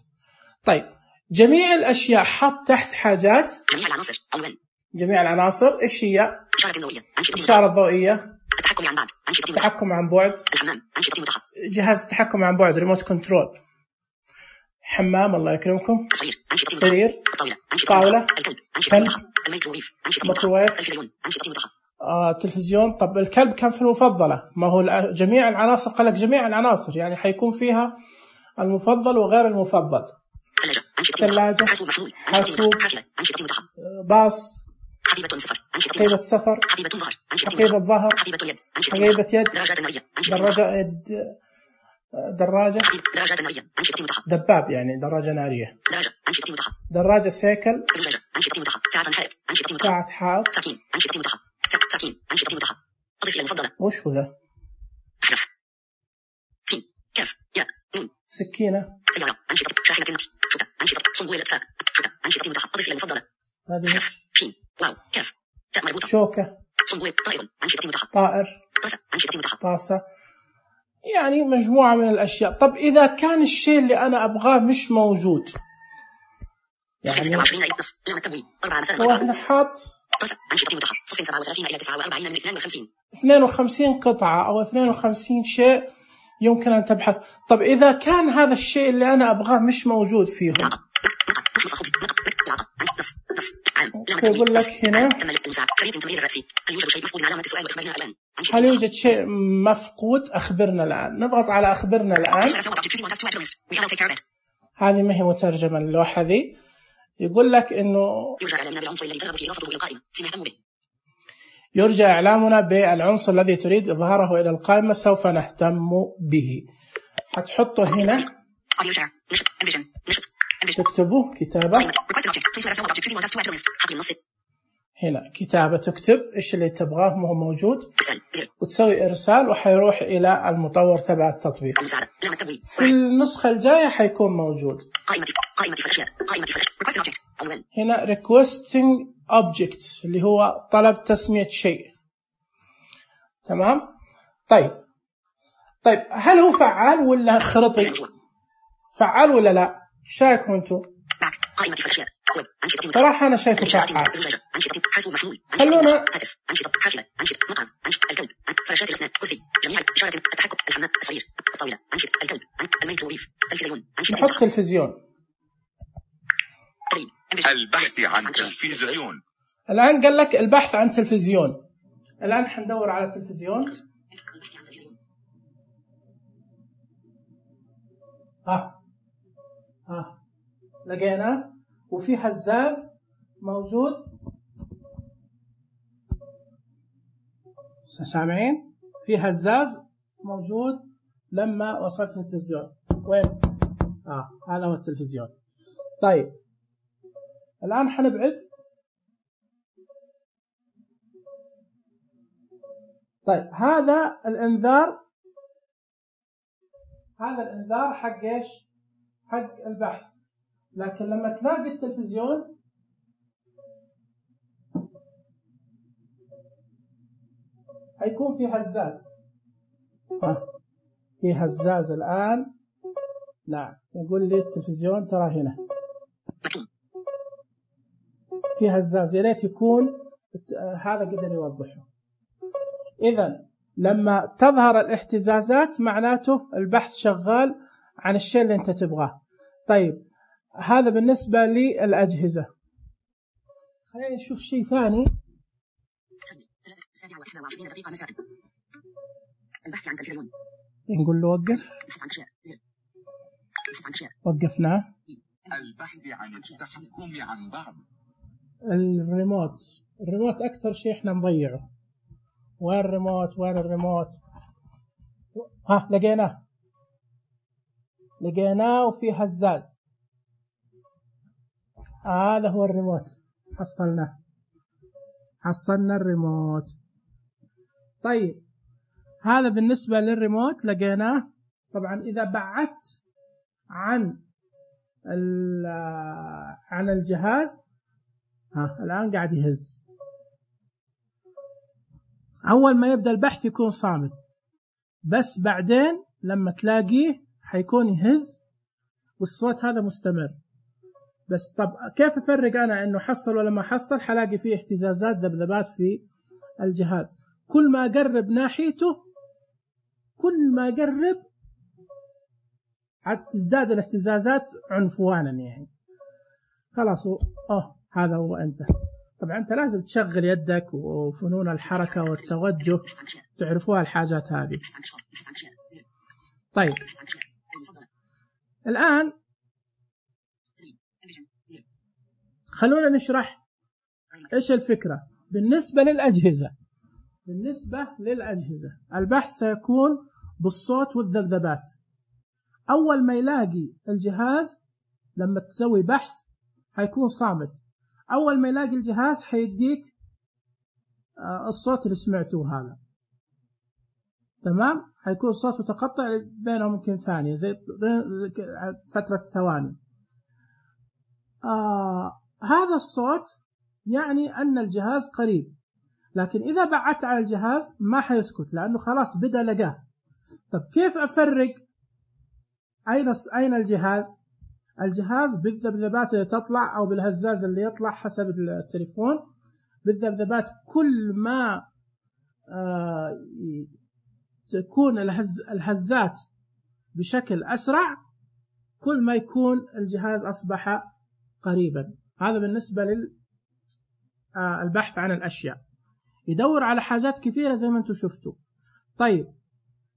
طيب جميع الأشياء حط تحت حاجات. جميع العناصر عنوان. جميع العناصر إيش هي؟ إشارة ضوئية أنشطة متاحة. إشارة ضوئية. التحكم عن بعد أنشطة متاحة. التحكم عن بعد. الحمام أنشطة متاحة. جهاز التحكم عن بعد ريموت كنترول. حمام الله يكرمكم. سرير أنشطة متاحة. سرير. الطاولة أنشطة طاولة. متاحة. الكلب أنشطة كلب. متاحة. الميكروويف أنشطة متاحة. ميكروويف. التلفزيون أنشطة متاحة. آه، تلفزيون. طب الكلب كان في المفضلة ما هو جميع العناصر قال لك جميع العناصر يعني حيكون فيها المفضل وغير المفضل. ثلاجة أنشطة متاحة. ثلاجة. حاسوب محمول حاسوب. حافلة أنشطة متاحة. باص. حقيبة سفر أنشطة حقيبة متاحة. سفر. حقيبة ظهر أنشطة حقيبة متاحة. ظهر. حقيبة اليد أنشطة حقيبة متاحة. يد. دراجات نارية أنشطة متاحة. دراجة يد. دراجة. حقيبة دراجات نارية أنشطة متاحة. دباب يعني دراجة نارية. دراجة أنشطة متاحة. دراجة سيكل. زجاجة أنشطة متاحة. ساعة حائط أنشطة متاحة. ساعة حائط. ساكين أنشطة متاحة. ساكين أنشطة متاحة. أضف إلى المفضلة. وش هو ذا؟ أحرف سين كاف ياء نون. سكينة. سيارة أنشطة. شاحنة النقل شوكة أنشطة. صنبوية إطفاء شوكة أنشطة متاحة. أضف إلى المفضلة. هذه أحرف شين واو كاف تاء مربوطة. شوكة. صنبوية طائر أنشطة متاحة. طائر. طاسة أنشطة متاحة. طاسة. يعني مجموعة من الأشياء. طب إذا كان الشيء اللي أنا أبغاه مش موجود يعني ستة وعشرين إلى نص لام التبويب أربعة مثلا هو هنا حاط طاسة أنشطة متاحة. صفر سبعة وثلاثين إلى تسعة وأربعين من اثنين وخمسين. اثنين وخمسين قطعة أو اثنين وخمسين شيء يمكن أن تبحث. طب إذا كان هذا الشيء اللي أنا أبغاه مش موجود فيهم يقول لك هنا هل يوجد شيء مفقود أخبرنا الآن. نضغط على أخبرنا الآن. هذه ما هي مترجمة اللوحة ذي. يقول لك إنه يرجى إعلامنا بالعنصر الذي تريد إظهاره إلى القائمة سوف نهتم به. حتحطه هنا تكتبه كتابة هنا كتابة تكتب إيش اللي تبغاه ما هو موجود وتسوي إرسال وحيروح إلى المطور تبع التطبيق. في النسخة الجاية حيكون موجود هنا requesting object اللي هو طلب تسمية شيء. تمام. طيب طيب هل هو فعال ولا خرطي؟ فعال ولا لا؟ شايفكم انتم؟ صراحة أنا شايفه فعال. خلونا نحط تلفزيون. البحث عن تلفزيون. الآن قال لك البحث عن تلفزيون. الآن حندور على تلفزيون. ها ها لقيناه، وفي هزاز موجود، سامعين؟ في هزاز موجود لما وصلت التلفزيون. وين؟ اه هذا هو التلفزيون. طيب الآن حنبعد. طيب هذا الانذار، هذا الانذار حق ايش؟ حق البحث. لكن لما تلاقي التلفزيون حيكون في هزاز. ها في هزاز الآن. نعم يقول لي التلفزيون ترى هنا في هزاز، يا ريت يكون هذا قدر يوضحه. إذا لما تظهر الاهتزازات معناته البحث شغال عن الشيء اللي أنت تبغاه. طيب هذا بالنسبة للأجهزة. خلينا نشوف شيء ثاني. البحث عن تلفزيون. نقول له وقف. وقفناه. البحث عن التحكم عن بعض. الريموت، الريموت أكثر شيء إحنا نضيعه. وين الريموت؟ وين الريموت؟ ها لقيناه، لقيناه وفي هزاز. هذا آه هو الريموت، حصلناه، حصلنا الريموت. طيب هذا بالنسبة للريموت لقيناه. طبعا إذا بعدت عن عن الجهاز، ها الآن قاعد يهز. أول ما يبدأ البحث يكون صامت، بس بعدين لما تلاقيه حيكون يهز والصوت هذا مستمر. بس طب كيف أفرق أنا إنه حصل ولا ما حصل؟ حلاقي فيه اهتزازات ذبذبات في الجهاز. كل ما أقرب ناحيته، كل ما أقرب تزداد الاهتزازات عنفوانا يعني. خلاص أوه هذا هو أنت. طبعا أنت لازم تشغل يدك وفنون الحركة والتوجه، تعرفوها الحاجات هذه. طيب الآن خلونا نشرح إيش الفكرة بالنسبة للأجهزة. بالنسبة للأجهزة البحث سيكون بالصوت والذبذبات. أول ما يلاقي الجهاز لما تسوي بحث هيكون صامت. أول ما يلاقي الجهاز حيديك الصوت اللي سمعتوه هذا، تمام؟ حيكون الصوت متقطع بينهم يمكن ثانية، زي فترة ثواني. آه هذا الصوت يعني أن الجهاز قريب. لكن إذا بعدت على الجهاز ما حيسكت، لأنه خلاص بدأ لقاه. طب كيف أفرق أين أين الجهاز؟ الجهاز بالذبذبات اللي تطلع أو بالهزاز اللي يطلع حسب التليفون. بالذبذبات كل ما آه تكون الهز الهزات بشكل أسرع، كل ما يكون الجهاز أصبح قريبا. هذا بالنسبة للبحث عن الأشياء، يدور على حاجات كثيرة زي ما انتم شفتوا. طيب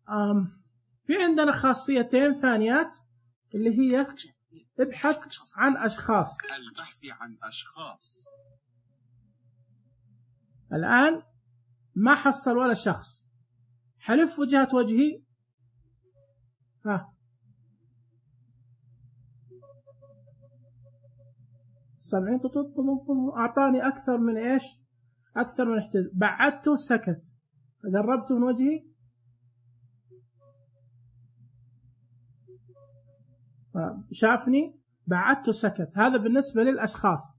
آم في عندنا خاصيتين ثانيات اللي هي ابحث عن أشخاص. البحث عن أشخاص. الآن ما حصل ولا شخص، حلف وجهة وجهي. ها سامعين؟ أعطاني أكثر من إيش؟ أكثر من احتزاز. بعدته سكت، قربته من وجهي شافني، بعدته سكت. هذا بالنسبة للأشخاص.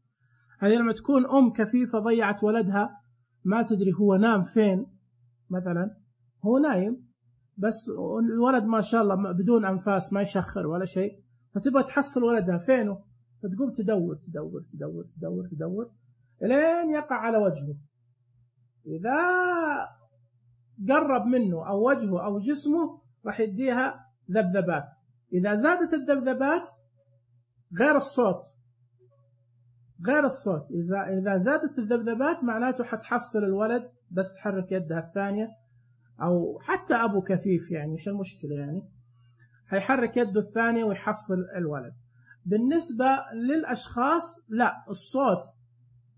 هذه لما تكون أم كفيفة ضيعت ولدها ما تدري هو نام فين، مثلا هو نايم بس الولد ما شاء الله بدون أنفاس ما يشخر ولا شيء، فتبغى تحصل ولدها فينه، فتقوم تدور تدور تدور تدور تدور لين يقع على وجهه. إذا قرب منه أو وجهه أو جسمه راح يديها ذبذبات. إذا زادت الذبذبات غير الصوت، غير الصوت إذا إذا زادت الذبذبات معناته حتحصل الولد، بس تحرك يدها الثانية، أو حتى أبو كفيف يعني، إيش المشكلة يعني. هيحرك يده الثانية ويحصل الولد. بالنسبة للأشخاص لا، الصوت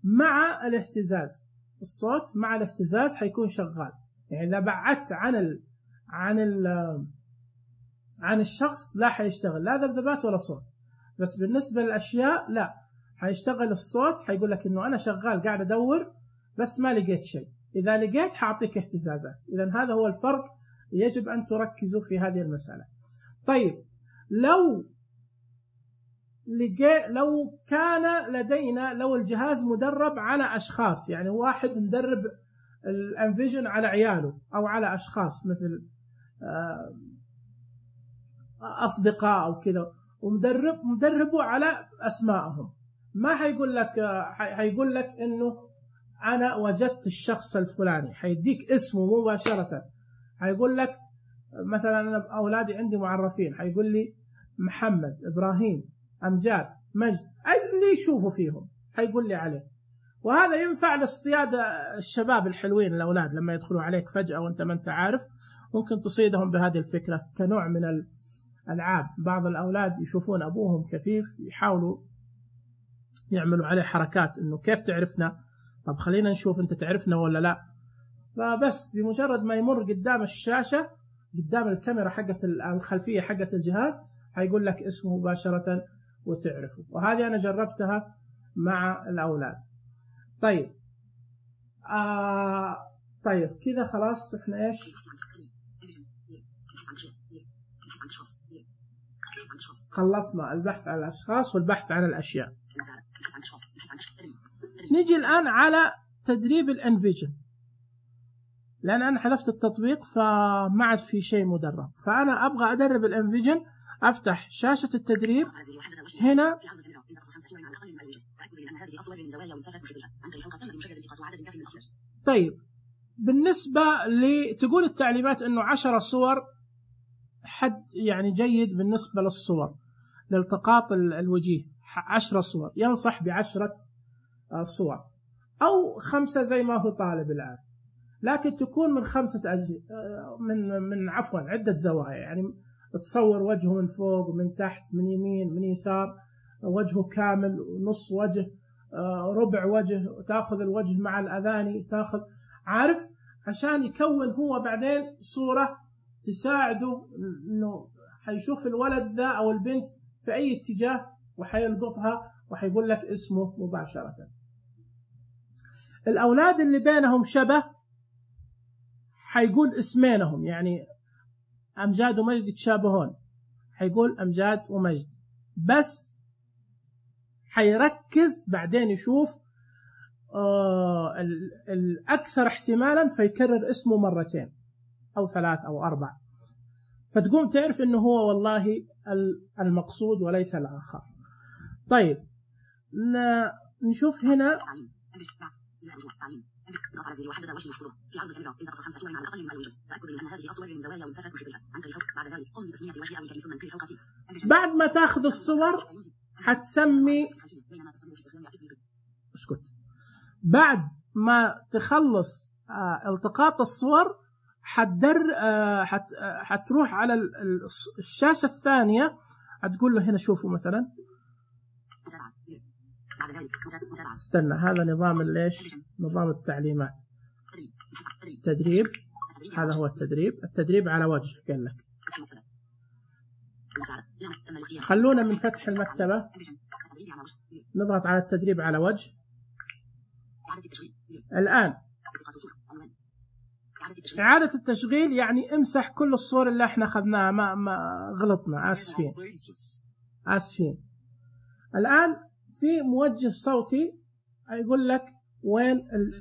مع الاهتزاز، الصوت مع الاهتزاز حيكون شغال. يعني إذا بعدت عن ال عن ال عن الشخص لا حيشتغل لا ذبذبات ولا صوت. بس بالنسبة للأشياء لا، حيشتغل الصوت، حيقول لك إنه أنا شغال قاعد أدور بس ما لقيت شيء، إذا لقيت حأعطيك اهتزازات. إذا هذا هو الفرق، يجب أن تركزوا في هذه المسألة. طيب لو لقي لو كان لدينا لو الجهاز مدرب على أشخاص، يعني واحد مدرب الانفيجن على عياله أو على أشخاص مثل أصدقاء أو كذا، ومدرب مدربه على أسمائهم، ما حيقول لك حيقول لك إنه أنا وجدت الشخص الفلاني، حيديك اسمه مباشرة. حيقول لك مثلا أنا أولادي عندي معرفين، حيقول لي محمد، إبراهيم، أمجاد، مجد، اللي يشوفوا فيهم حيقول لي عليه. وهذا ينفع لاصطياد الشباب الحلوين الأولاد لما يدخلوا عليك فجأة وأنت ما أنت عارف، ممكن تصيدهم بهذه الفكرة كنوع من الألعاب. بعض الأولاد يشوفون أبوهم كفيف يحاولوا يعملوا عليه حركات إنه كيف تعرفنا، طب خلينا نشوف أنت تعرفنا ولا لا. فبس بمجرد ما يمر قدام الشاشة قدام الكاميرا حقت الخلفية حقت الجهاز هيقول لك اسمه مباشرة وتعرفه. وهذه أنا جربتها مع الأولاد. طيب آه طيب كذا خلاص احنا ايش خلصنا البحث عن الأشخاص والبحث عن الأشياء. نيجي الآن على تدريب الانفيجن، لأن أنا حذفت التطبيق فما عاد في شيء مدرب، فأنا أبغى أدرب الانفيجن. أفتح شاشة التدريب هنا. طيب بالنسبة لتقول التعليمات إنه عشرة صور حد يعني جيد بالنسبة للصور لالتقاط الوجيه، عشرة صور، ينصح بعشرة صور أو خمسة زي ما هو طالب الآن، لكن تكون من خمسة أج... من من عفوا عدة زوايا، يعني تصور وجهه من فوق ومن تحت من يمين من يسار، وجهه كامل، نص وجه، ربع وجه، تاخذ الوجه مع الأذاني، تاخذ عارف، عشان يكون هو بعدين صورة تساعده إنه حيشوف الولد ذا أو البنت في أي اتجاه وحيلقطها وحيقول لك اسمه مباشرة. الأولاد اللي بينهم شبه حيقول اسمينهم، يعني أمجاد ومجد يتشابهون حيقول أمجاد ومجد، بس حيركز بعدين يشوف آه الأكثر احتمالا فيكرر اسمه مرتين أو ثلاث أو أربع، فتقوم تعرف إنه هو والله المقصود وليس الآخر. طيب نشوف هنا ضغط على زر وحدد وجه الصورة في عرض الكاميرا انتقص خمس صور على الأقل من الوجه، تأكد من أن هذه الصور من زوايا ومسافات مختلفة. عن طريق بعد ذلك قم بتسمية وجه أو الكريم ثم انقل فوق. بعد ما تاخذ الصور حتسمي اسكت بعد ما تخلص آه التقاط الصور حتدر آه حت آه حتروح على الشاشة الثانية، حتقول له هنا شوفوا مثلا استنى، هذا نظام ليش نظام التعليمات تدريب، هذا هو التدريب. التدريب على وجه قال لك خلونا من فتح المكتبة نضغط على التدريب على وجه. الآن إعادة التشغيل يعني امسح كل الصور اللي احنا أخذناها، ما, ما غلطنا، آسفين آسفين. الآن في موجه صوتي يقول لك وين ال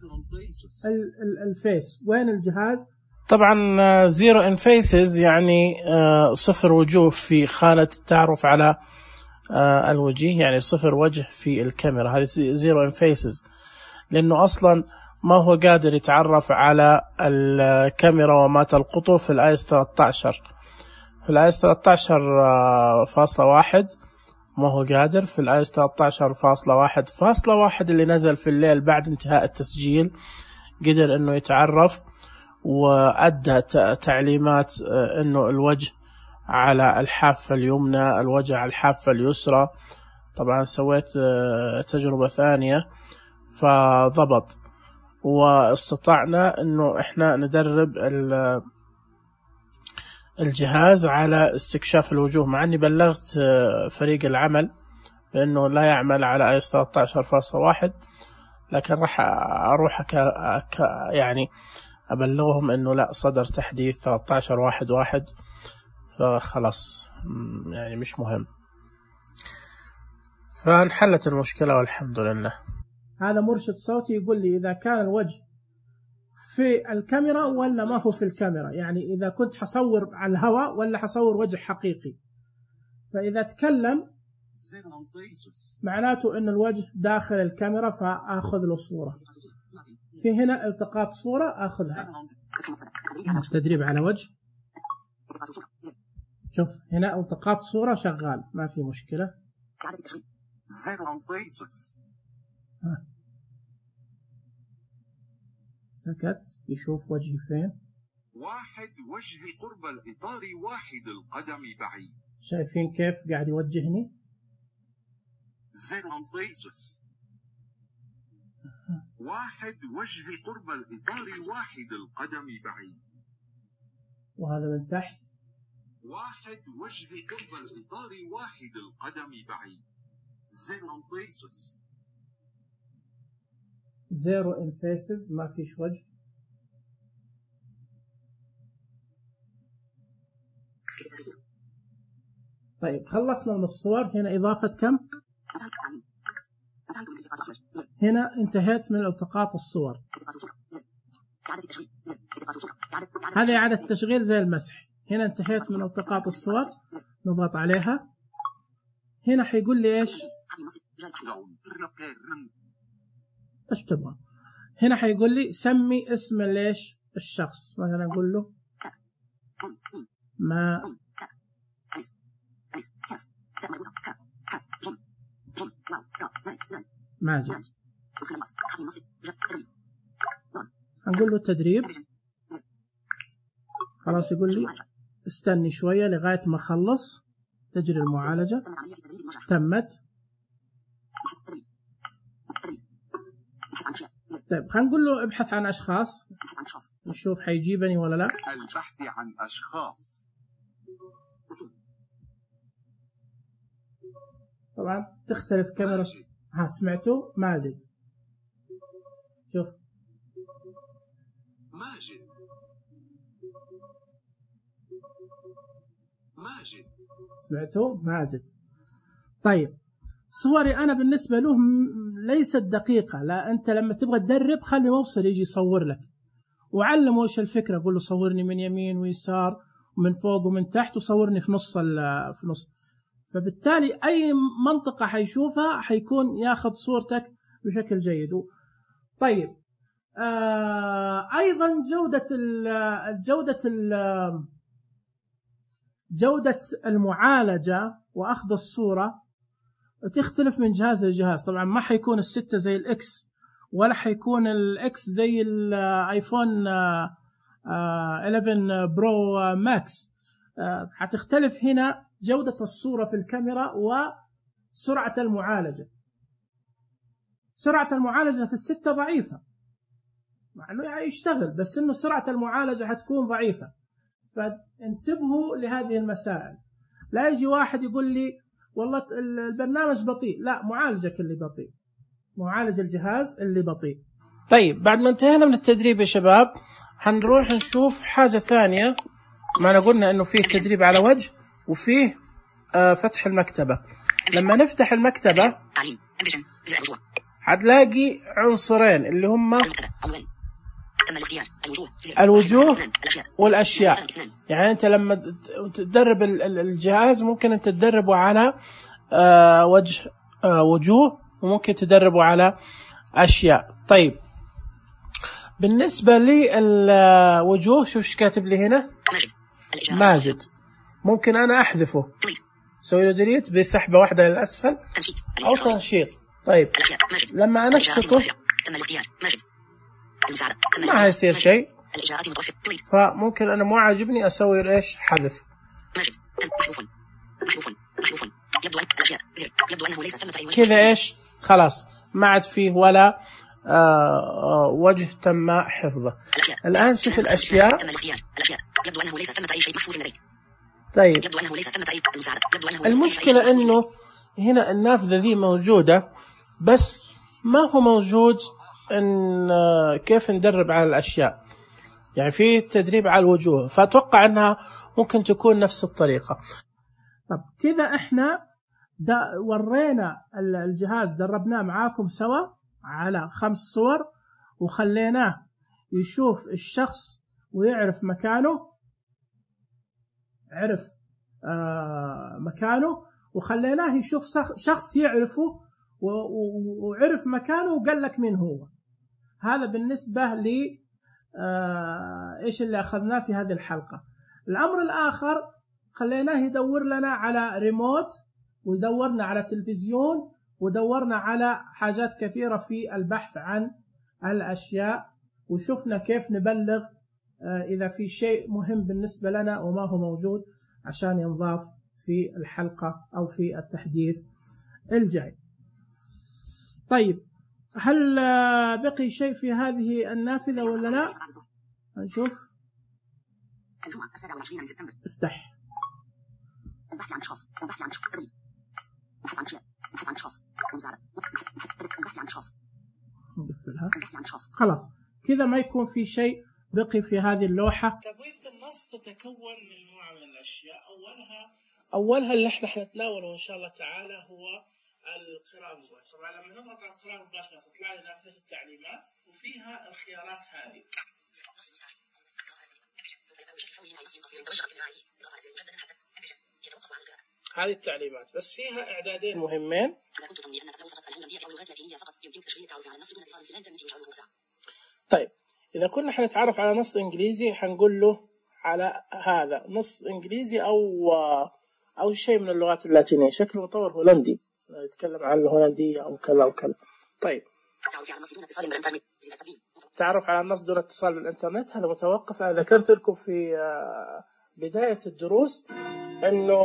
ال ال الفيس، وين الجهاز. طبعا زيرو ان فيسز يعني صفر وجوه في خانة التعرف على الوجه، يعني صفر وجه في الكاميرا، هذه زيرو ان فيسز، لأنه أصلا ما هو قادر يتعرف على الكاميرا وما تلقطه في الايس ثلاثة عشر. في الايس ثلاثة عشر فاصلة واحد ما هو قادر، في الايس ثلاثة عشر فاصلة واحد فاصلة واحد اللي نزل في الليل بعد انتهاء التسجيل قدر انه يتعرف وأدى تعليمات انه الوجه على الحافة اليمنى، الوجه على الحافة اليسرى. طبعا سويت تجربة ثانية فضبط، واستطعنا انه احنا ندرب الجهاز على استكشاف الوجوه، مع اني بلغت فريق العمل بانه لا يعمل على اي ثلاثة عشر فاصلة واحد، لكن راح اروح ك... ك... يعني ابلغهم انه لا، صدر تحديث ثلاثة عشر واحد واحد، فخلاص يعني مش مهم. فانحلت المشكلة والحمد لله. هذا مرشد صوتي يقول لي إذا كان الوجه في الكاميرا ولا ما هو في الكاميرا، يعني إذا كنت حصور على الهواء ولا حصور وجه حقيقي. فإذا تكلم معناته إن الوجه داخل الكاميرا فآخذ له صورة. في هنا التقاط صورة آخذها. التدريب على وجه، شوف هنا التقاط صورة شغال، ما في مشكلة. ها. سكت يشوف وجهي فين. واحد وجهي قرب الإطار، واحد القدم بعيد. شايفين كيف قاعد يوجهني؟ واحد وجهي قرب الإطار، واحد القدم بعيد. وهذا من تحت. واحد وجهي قرب الإطار، واحد القدم بعيد. زيرو ان فيسز، ما فيش وجه. طيب خلصنا من الصور. هنا إضافة كم؟ هنا انتهيت من التقاط الصور. هذه إعادة تشغيل زي المسح. هنا انتهيت من التقاط الصور، نضغط عليها. هنا حيقول لي ايش؟ ايش تبغى؟ هنا حيقول لي سمي اسم ليش الشخص، مثلا نقول له ما ماجد. هنقول له التدريب. خلاص يقول لي استني شوية لغاية ما اخلص. تجري المعالجة، تمت. طيب خلينا نقول له ابحث عن أشخاص، نشوف حيجيبني ولا لا. البحث عن أشخاص. طبعا تختلف كاميرا. ها سمعتوا؟ ماجد. شوف ماجد ماجد سمعتوا؟ ماجد. طيب صوري أنا بالنسبة له ليست دقيقة. لا، أنت لما تبغى تدرب خلي موصل يجي يصور لك وعلمه إيش الفكرة. قول له صورني من يمين ويسار ومن فوق ومن تحت وصورني في نص في نص. فبالتالي أي منطقة حيشوفها حيكون ياخذ صورتك بشكل جيد. طيب آه أيضا جودة ال جودة ال جودة المعالجة وأخذ الصورة تختلف من جهاز لجهاز. طبعا ما حيكون الستة زي الإكس، ولا حيكون الإكس زي الآيفون إحدى عشر برو ماكس. حتختلف هنا جودة الصورة في الكاميرا وسرعة المعالجة. سرعة المعالجة في الستة ضعيفة، مع أنه يشتغل، بس أنه سرعة المعالجة حتكون ضعيفة. فانتبهوا لهذه المسائل. لا يجي واحد يقول لي والله البرنامج بطيء، لا، معالجك اللي بطيء، معالج الجهاز اللي بطيء. طيب بعد ما انتهينا من التدريب يا شباب، هنروح نشوف حاجة ثانية. ما قلنا انه فيه تدريب على وجه وفيه آه فتح المكتبة. لما نفتح المكتبة هتلاقي عنصرين اللي هم الوجوه والأشياء. يعني أنت لما تدرب الجهاز ممكن أنت تدربه على آه وجه آه وجوه، وممكن تدربه على أشياء. طيب بالنسبة للوجوه، شوف ايش كاتب لي هنا؟ ماجد. ممكن أنا أحذفه، سوي له ديليت بسحبة واحدة للأسفل أو تنشيط. طيب لما أنشطه ما هيصير شيء، فممكن أنا مو عاجبني أسوي إيش؟ حذف. ماجد محذوف محذوف محذوف يبدو أن الأشياء زر يبدو أنه ليس ثمة أي وجه كذا إيش خلاص ما عاد فيه ولا آه وجه تم حفظه. الآن شوف الأشياء. تم الاختيار الأشياء يبدو أنه ليس ثمة أي شيء محفوظ لديك. طيب يبدو أنه ليس ثمة أي مساعدة. يبدو أنه المشكلة إنه هنا النافذة ذي موجودة بس ما هو موجود إن كيف ندرب على الأشياء، يعني في تدريب على الوجوه، فأتوقع أنها ممكن تكون نفس الطريقة. طب كذا إحنا ورينا الجهاز دربناه معاكم سوا على خمس صور وخليناه يشوف الشخص ويعرف مكانه، عرف آه مكانه، وخليناه يشوف شخص يعرفه وعرف مكانه وقال لك مين هو. هذا بالنسبة لي آه إيش اللي أخذناه في هذه الحلقة. الأمر الآخر خليناه يدور لنا على ريموت ويدورنا على تلفزيون ودورنا على حاجات كثيرة في البحث عن الأشياء، وشفنا كيف نبلغ آه إذا في شيء مهم بالنسبة لنا وما هو موجود عشان ينضاف في الحلقة أو في التحديث الجاي. طيب هل بقي شيء في هذه النافذة ولا لا؟ نشوف. الجمعة السابعة والعشرين من سبتمبر. افتح. البحث عن أشخاص. البحث عن أشخاص. البحث عن أشياء. البحث عن أشخاص. مساعدة. البحث عن أشخاص. نقفلها. البحث عن أشخاص. خلاص كذا ما يكون في شيء بقي في هذه اللوحة. تبويبة النص تتكون من مجموعة من الأشياء. أولها أولها اللي احنا حنتناوله إن شاء الله تعالى هو القراءة المباشرة. طبعا لما نضغط على القراءة المباشرة تطلع لنا نافذة التعليمات وفيها الخيارات هذه. هذه التعليمات بس فيها إعدادين مهمين. طيب إذا كنا حنتعرف على نص إنجليزي حنقول له على هذا نص إنجليزي أو أو شيء من اللغات اللاتينية. شكله مطور هولندي يتكلم عن الهولندية أو كذا وكذا. طيب تعرف على النص دون اتصال بالإنترنت هذا متوقف. أنا ذكرت لكم في بداية الدروس إنه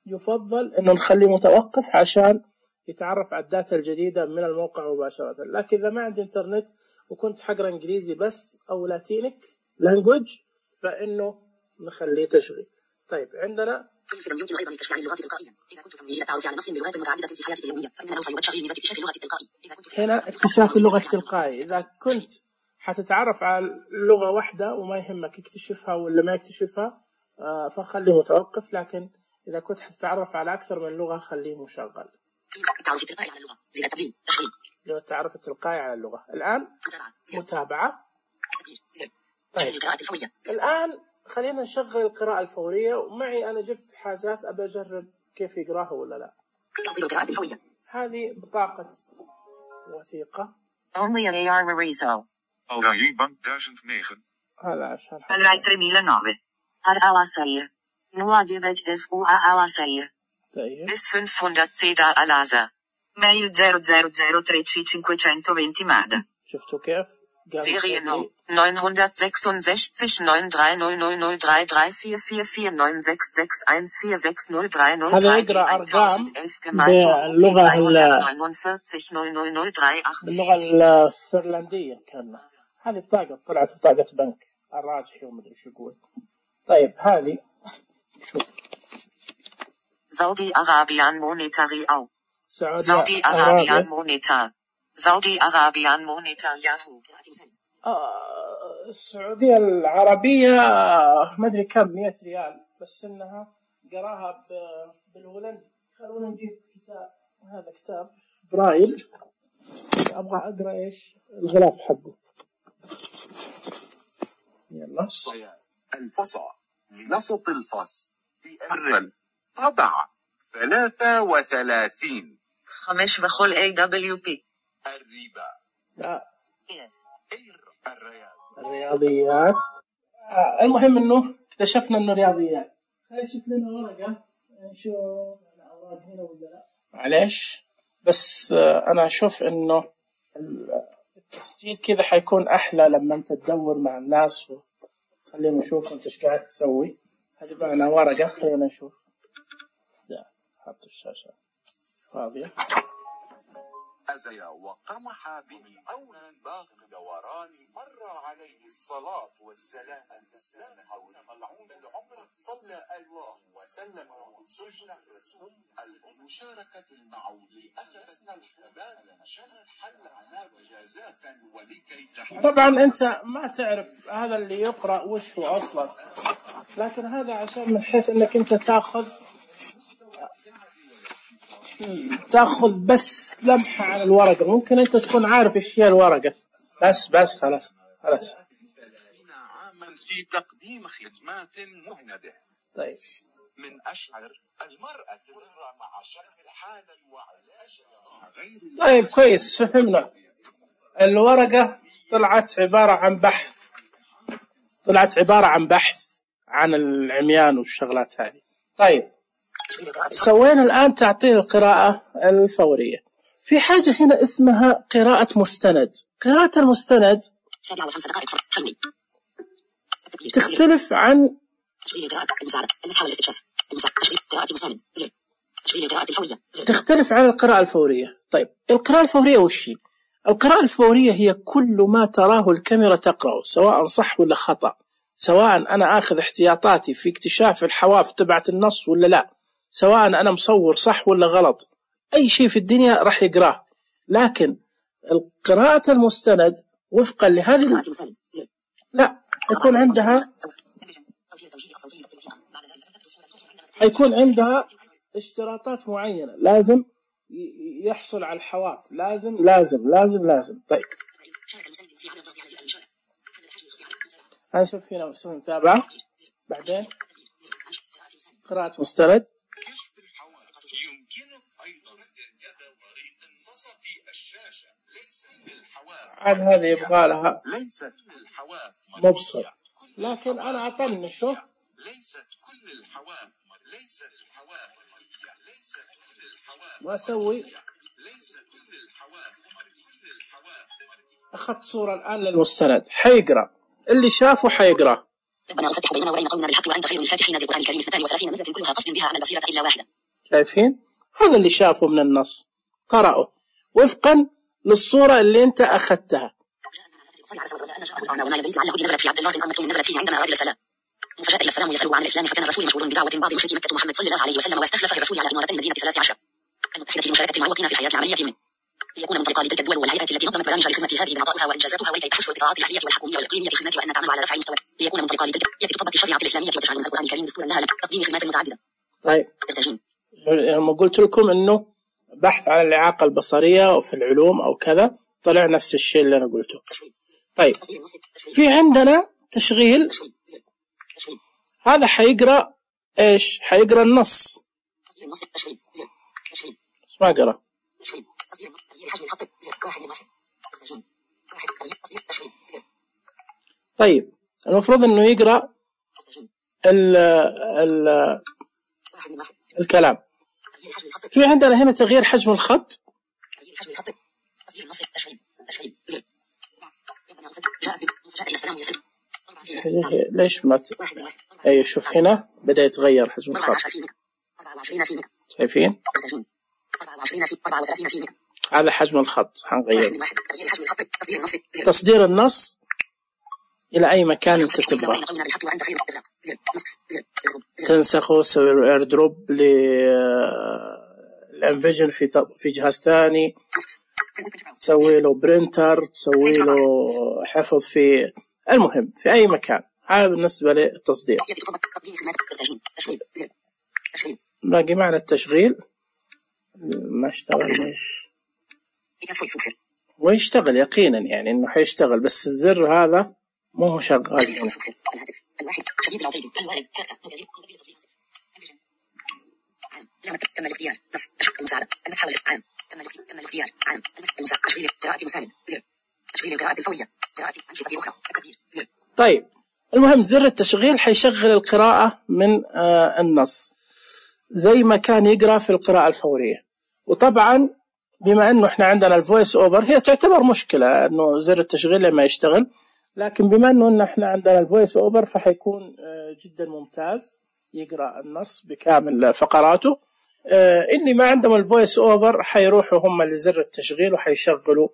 يفضل إنه نخليه متوقف عشان يتعرف على الداتا الجديدة من الموقع مباشرة. لكن إذا ما عندي إنترنت وكنت حقرأ إنجليزي بس أو لاتينيك لانجويج فإنه نخليه تشغيل. طيب عندنا يمكن أيضا الكشف عن اللغات التلقائية. إذا كنت تميل إلى التعرف على نص بلغات متعددة في حياتك اليومية فإنه سيمد شغل ميزة اكتشاف اللغة التلقائية. هنا اكتشاف اللغة التلقائية. إذا كنت حتتعرف على لغة واحدة وما يهمك يكتشفها ولا ما يكتشفها فخليه متوقف. لكن إذا كنت حتتعرف على أكثر من لغة خليه مشغل. التعرف التلقائي على اللغة زي التبديل تشغيل. لو التعرف التلقائي على اللغة. الآن متابعة. طيب. القراءة الفورية. الآن خلينا نشغل القراءة الفورية. ومعي أنا جبت حاجات أبى أجرب كيف يقراها ولا لا. تفضيل القراءة الفورية. هذه بطاقة وثيقة. Only A R Mariso. Algaï Bank duizend negen. هذا عشان Algaï tremila nove. Ar Alasair. nulla devet F U A Alasair. طيب. S fünfhundert C da Alasa. Mail zero zero zero tre C cinquecentodue Mada. شفتوا كيف؟ Seriennummer neun sechs sechs neun drei null null null drei drei vier vier vier neun sechs sechs eins vier sechs null drei null هذا drei يقرأ أرقام باللغة باللغة الفنلندية كان. هذه بطاقة طلعت بطاقة بنك الراجحي ومدري شو يقول. طيب هذه شوف. Saudi Arabian Monetary Au. Saudi Arabian Monetar. Saudi Arabian Monetar Yahoo. آه السعودية العربية ما أدري كم مئة ريال بس إنها قراها بالهولندي. خلونا نجيب كتاب. هذا كتاب برايل. أبغى أقرأ إيش الغلاف حقه. يلا. الصيام الفصل لنسط الفص الرل طبع ثلاثة وثلاثين خمش بخل A W P. الربا لا. الرياض الرياضيات. آه المهم إنه اكتشفنا إنه رياضيات. خلينا نشوف لنا ورقة نشوف الأوراق هنا ولا لا. معليش بس آه أنا أشوف إنه التسجيل كذا حيكون أحلى لما أنت تدور مع الناس. خلينا نشوف أنت إيش قاعد تسوي. هذه معنا ورقة، خلينا نشوف. لا حط الشاشة فاضية. أزيا وقمح به قولا باق دوران مر عليه الصلاة والسلام الإسلام حول ملعون العمر صلى الله وسلم سجن الرسول المشاركة المعود أخذنا الحباب شهد حل عنا وجازات ولكي تحل. طبعا أنت ما تعرف هذا اللي يقرأ وش هو أصلا، لكن هذا عشان من حيث أنك أنت تأخذ تأخذ بس لمحة على الورقة. ممكن أنت تكون عارف إيش هي الورقة، بس بس خلاص خلاص. عاما في تقديم خدمات مهندة. طيب من أشعر المرأة مع شهر حالا وعلاش غير. طيب كويس، فهمنا. الورقة طلعت عبارة عن بحث، طلعت عبارة عن بحث عن العميان والشغلات هذه. طيب سوينا الآن تعطيل القراءة الفورية. في حاجة هنا اسمها قراءة مستند. قراءة المستند تختلف عن تختلف عن القراءة الفورية. طيب القراءة الفورية وش هي؟ القراءة الفورية هي كل ما تراه الكاميرا تقرأه، سواء صح ولا خطأ، سواء أنا أخذ احتياطاتي في اكتشاف الحواف تبعت النص ولا لا، سواء أنا مصور صح ولا غلط، أي شيء في الدنيا راح يقراه. لكن القراءة المستند وفقا لهذه لا يكون عندها يكون عندها اشتراطات معينة، لازم يحصل على الحواف، لازم لازم لازم لازم. طيب هنشوف هنا مسوي متابعة، بعدين قراءة مستند. عاد هذه يبغى لها مبصر، لكن أنا أطنشه. ليست كل الحواف ليست الحواف ليست كل الحواف وأسوي ليست كل الحواف كل الحواف. أخذت صورة الآن للمستند، حيقرأ اللي شافه حيقرأ. ربنا وفتح بيننا وبين قومنا بالحق وأنت خير الفاتحين. ذي القرآن الكريم اثنتان وثلاثين ملة كلها قصد بها عن البصيرة إلا واحدة. شايفين؟ هذا اللي شافه من النص قرأه وفقا للصورة اللي أنت أخذتها. وما يدريك لعله نزلت في عبد الله بن أمة نزلت فيه عندما أراد السلام فجاء إلى السلام يسأله عن الإسلام، فكان الرسول مشغول بدعوة بعض مشركي مكة محمد صلى الله عليه وسلم، واستخلف الرسول على إمارة المدينة ثلاث عشر المتحدة لمشاركة المعوقين في الحياة العملية منه، ليكون منطلقا لتلك الدول والهيئات التي نظمت برامج الخدمة هذه بنعطائها وإنجازاتها، ولكي تحصل القطاعات الأهلية والحكومية والإقليمية في خدمة وأن تعمل على رفع المستوى، ليكون منطلقا لتلك يجب تطبق الشريعة الإسلامية وتجعل القرآن الكريم دستورا لها لتقديم خدمات متعددة. طيب لما قلت لكم إنه بحث عن الإعاقة البصرية وفي العلوم أو كذا، طلع نفس الشيء اللي أنا قلته. طيب في عندنا تشغيل، هذا حيقرأ إيش؟ حيقرأ النص ما قرأ. طيب المفروض إنه يقرأ ال ال الكلام. في عندنا هنا تغيير حجم الخط. ليش ما ت... أي شوف هنا بدأ يتغير حجم الخط، شايفين؟ هذا حجم الخط حنغير. تصدير النص إلى أي مكان أنت تبغى، تنسخه، تسوي اير دروب للانفيجن في في جهاز ثاني، تسوي له برينتر، تسوي له حفظ في المهم في أي مكان. هذا بالنسبة للتصدير. باقي معنا التشغيل ما اشتغل. ليش؟ ويشتغل يقينا يعني إنه حيشتغل، بس الزر هذا مو هو شغال هنا. لما تم الاختيار نص المساعدة المسح والعام تم تم الاختيار عام المسح تشغيل قراءة مساند زر تشغيل القراءة الفورية قراءة أنشطة أخرى التكبير زر. طيب المهم زر التشغيل حيشغل القراءة من آه النص زي ما كان يقرأ في القراءة الفورية. وطبعا بما أنه إحنا عندنا الفويس أوفر، هي تعتبر مشكلة أنه زر التشغيل لما يشتغل، لكن بما أنه إحنا عندنا الفويس أوفر فحيكون آه جدا ممتاز. يقرأ النص بكامل فقراته. آه اللي ما عندهم الفويس أوفر حيروحوا هم لزر التشغيل وحيشغلوا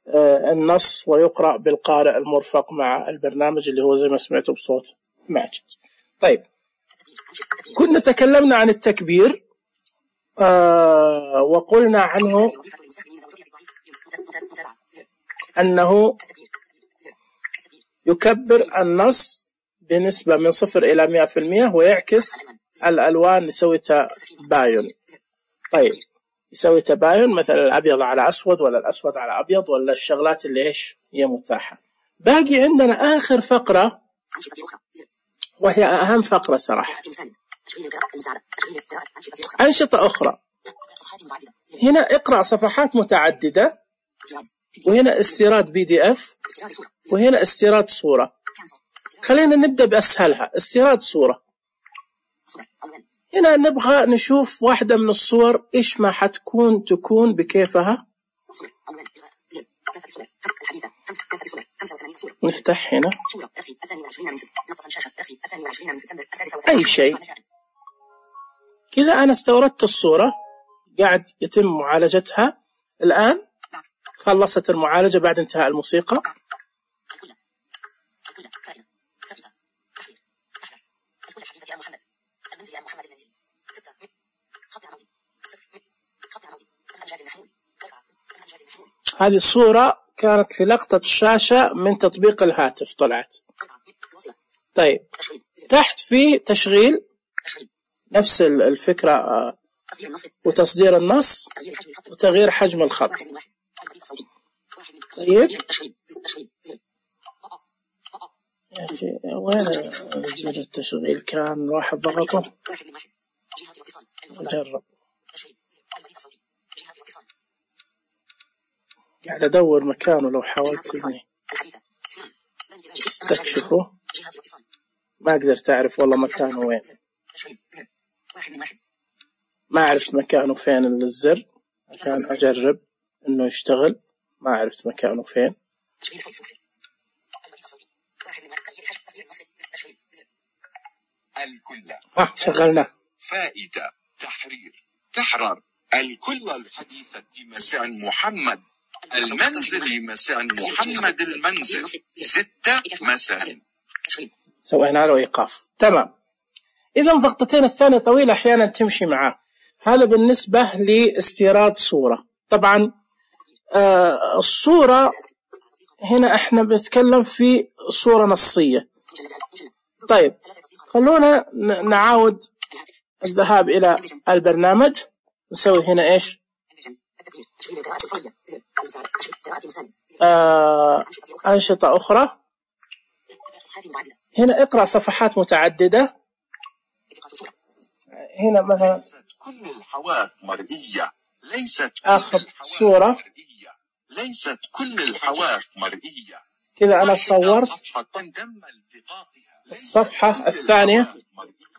آه النص ويقرأ بالقارئ المرفق مع البرنامج اللي هو زي ما سمعتوا بصوت ماجد. طيب كنا تكلمنا عن التكبير آه وقلنا عنه أنه يكبر النص بنسبة من صفر إلى مئة في المئة ويعكس الألوان يسوي تباين. طيب يسوي تباين مثلا الأبيض على أسود ولا الأسود على أبيض ولا الشغلات اللي إيش هي متاحة. باقي عندنا آخر فقرة وهي أهم فقرة صراحة، أنشطة أخرى. هنا اقرأ صفحات متعددة، وهنا استيراد بي دي اف، وهنا استيراد صورة. خلينا نبدأ بأسهلها، استيراد صورة. هنا نبغى نشوف واحدة من الصور إيش ما حتكون تكون بكيفها. نفتح هنا أي شيء كذا. أنا استوردت الصورة قاعد يتم معالجتها الآن، خلصت المعالجة بعد انتهاء الموسيقى. هذه الصورة كانت في لقطة الشاشة من تطبيق الهاتف طلعت. طيب تحت في تشغيل نفس الفكرة وتصدير النص وتغيير حجم الخط. طيب يا أخي وين زر التشغيل؟ كان واحد ضغطه. جرب، قاعد أدور مكانه لو حاولت إني استكشفه ما قدرت أعرف والله مكانه وين. ما عرفت مكانه فين الزر، كان أجرب إنه يشتغل ما عرفت مكانه فين. الكل ها شغلنا. فائدة تحرير تحرر الكل الحديثة مساء محمد المنزل مساء محمد المنزل ستة مساء. سوينا له إيقاف. تمام. إذا ضغطتين الثانية طويلة أحيانا تمشي معاه. هذا بالنسبة لاستيراد صورة. طبعا آه الصورة هنا احنا بنتكلم في صورة نصية. طيب خلونا نعاود الذهاب إلى البرنامج. نسوي هنا إيش آه أنشطة أخرى. هنا اقرأ صفحات متعددة. هنا مثلا كل الحواف مرئية ليست آخذ صورة. ليست كل الحواف مرئية. كذا أنا صورت الصفحة الثانية.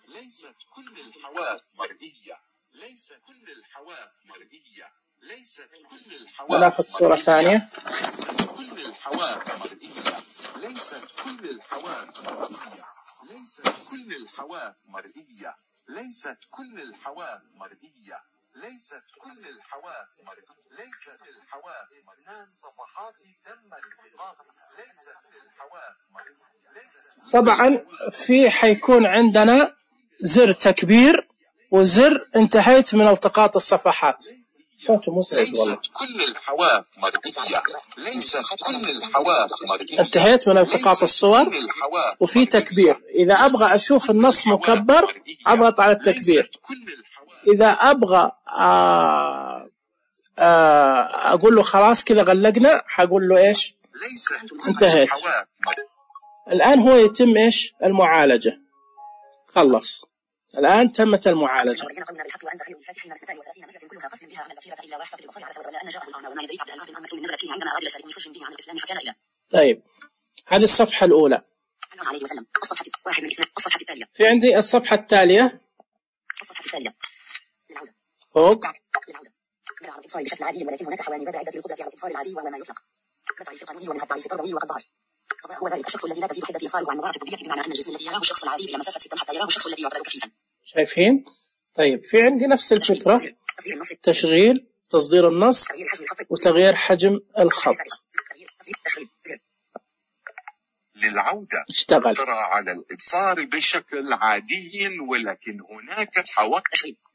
ليست كل الحواف مرئية. ليست كل الحواف مرئية. ليست كل الحواف. وناخذ صورة ثانية. ليست كل الحواف مرئية. ليست كل الحواف مرئية. ليست كل الحواف مرئية. ليست كل الحواف مرئية. ليست كل الحواف مرئية. ليست الحواف مرئية. صفحات تم التقاطها. ليست الحواف مرئية. طبعا في حيكون عندنا زر تكبير وزر انتهيت من التقاط الصفحات. صوته مزعج والله. ليست كل الحواف مرئية. ليست كل الحواف مرئية. انتهيت من التقاط الصور وفي تكبير. إذا أبغى أشوف النص مكبر أضغط على التكبير. إذا أبغى آه آه أقول له خلاص كذا غلقنا حقول له إيش انتهيت. الآن هو يتم إيش المعالجة. خلص الآن تمت المعالجة. طيب هذه الصفحة الأولى. في عندي الصفحة التالية فوق. الاتصال بشكل عادي ولكن هناك حوالي باب عدة للقدرة على الاتصال العادي وهو ما يطلق بالتعريف القانوني ومنها التعريف التربوي وقد ظهر. هو ذلك الشخص الذي لا تزيد حدة إيصاله عن مضاعف الطبيعة بمعنى أن الجسم الذي يراه الشخص العادي إلى مسافة ستة حتى يراه الشخص الذي يعتبر كفيفا. شايفين؟ طيب في عندي نفس الفكرة، تشغيل، تصدير النص، وتغيير حجم الخط. للعودة اشتغل. ترى على الإبصار بشكل عادي، ولكن هناك حواف.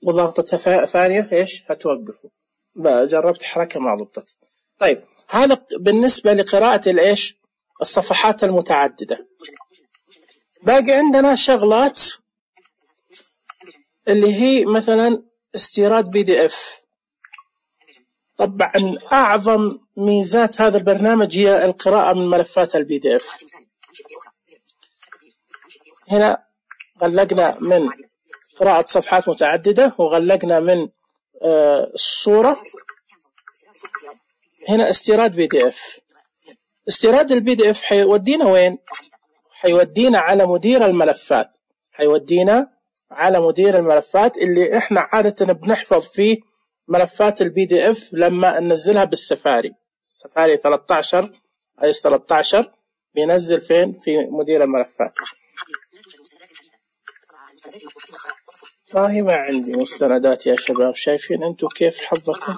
وضغطة ثانية إيش هتوقفوا. بقى جربت حركة ما ضبطت. طيب هذا بالنسبة لقراءة الإيش الصفحات المتعددة. باقي عندنا شغلات اللي هي مثلا استيراد بي دي اف. طبعا أعظم ميزات هذا البرنامج هي القراءة من ملفات البي دي اف. هنا غلقنا من قراءة صفحات متعددة، وغلقنا من آه الصورة. هنا استيراد بي دي اف. استيراد البي دي اف حيودينا وين؟ حيودينا على مدير الملفات. حيودينا على مدير الملفات اللي احنا عادة بنحفظ فيه ملفات البي دي اف لما ننزلها بالسفاري. سفاري ثلاثة عشر ايس ثلاثة عشر بينزل فين؟ في مدير الملفات. والله ما عندي مستندات يا شباب. شايفين انتم كيف حظكم؟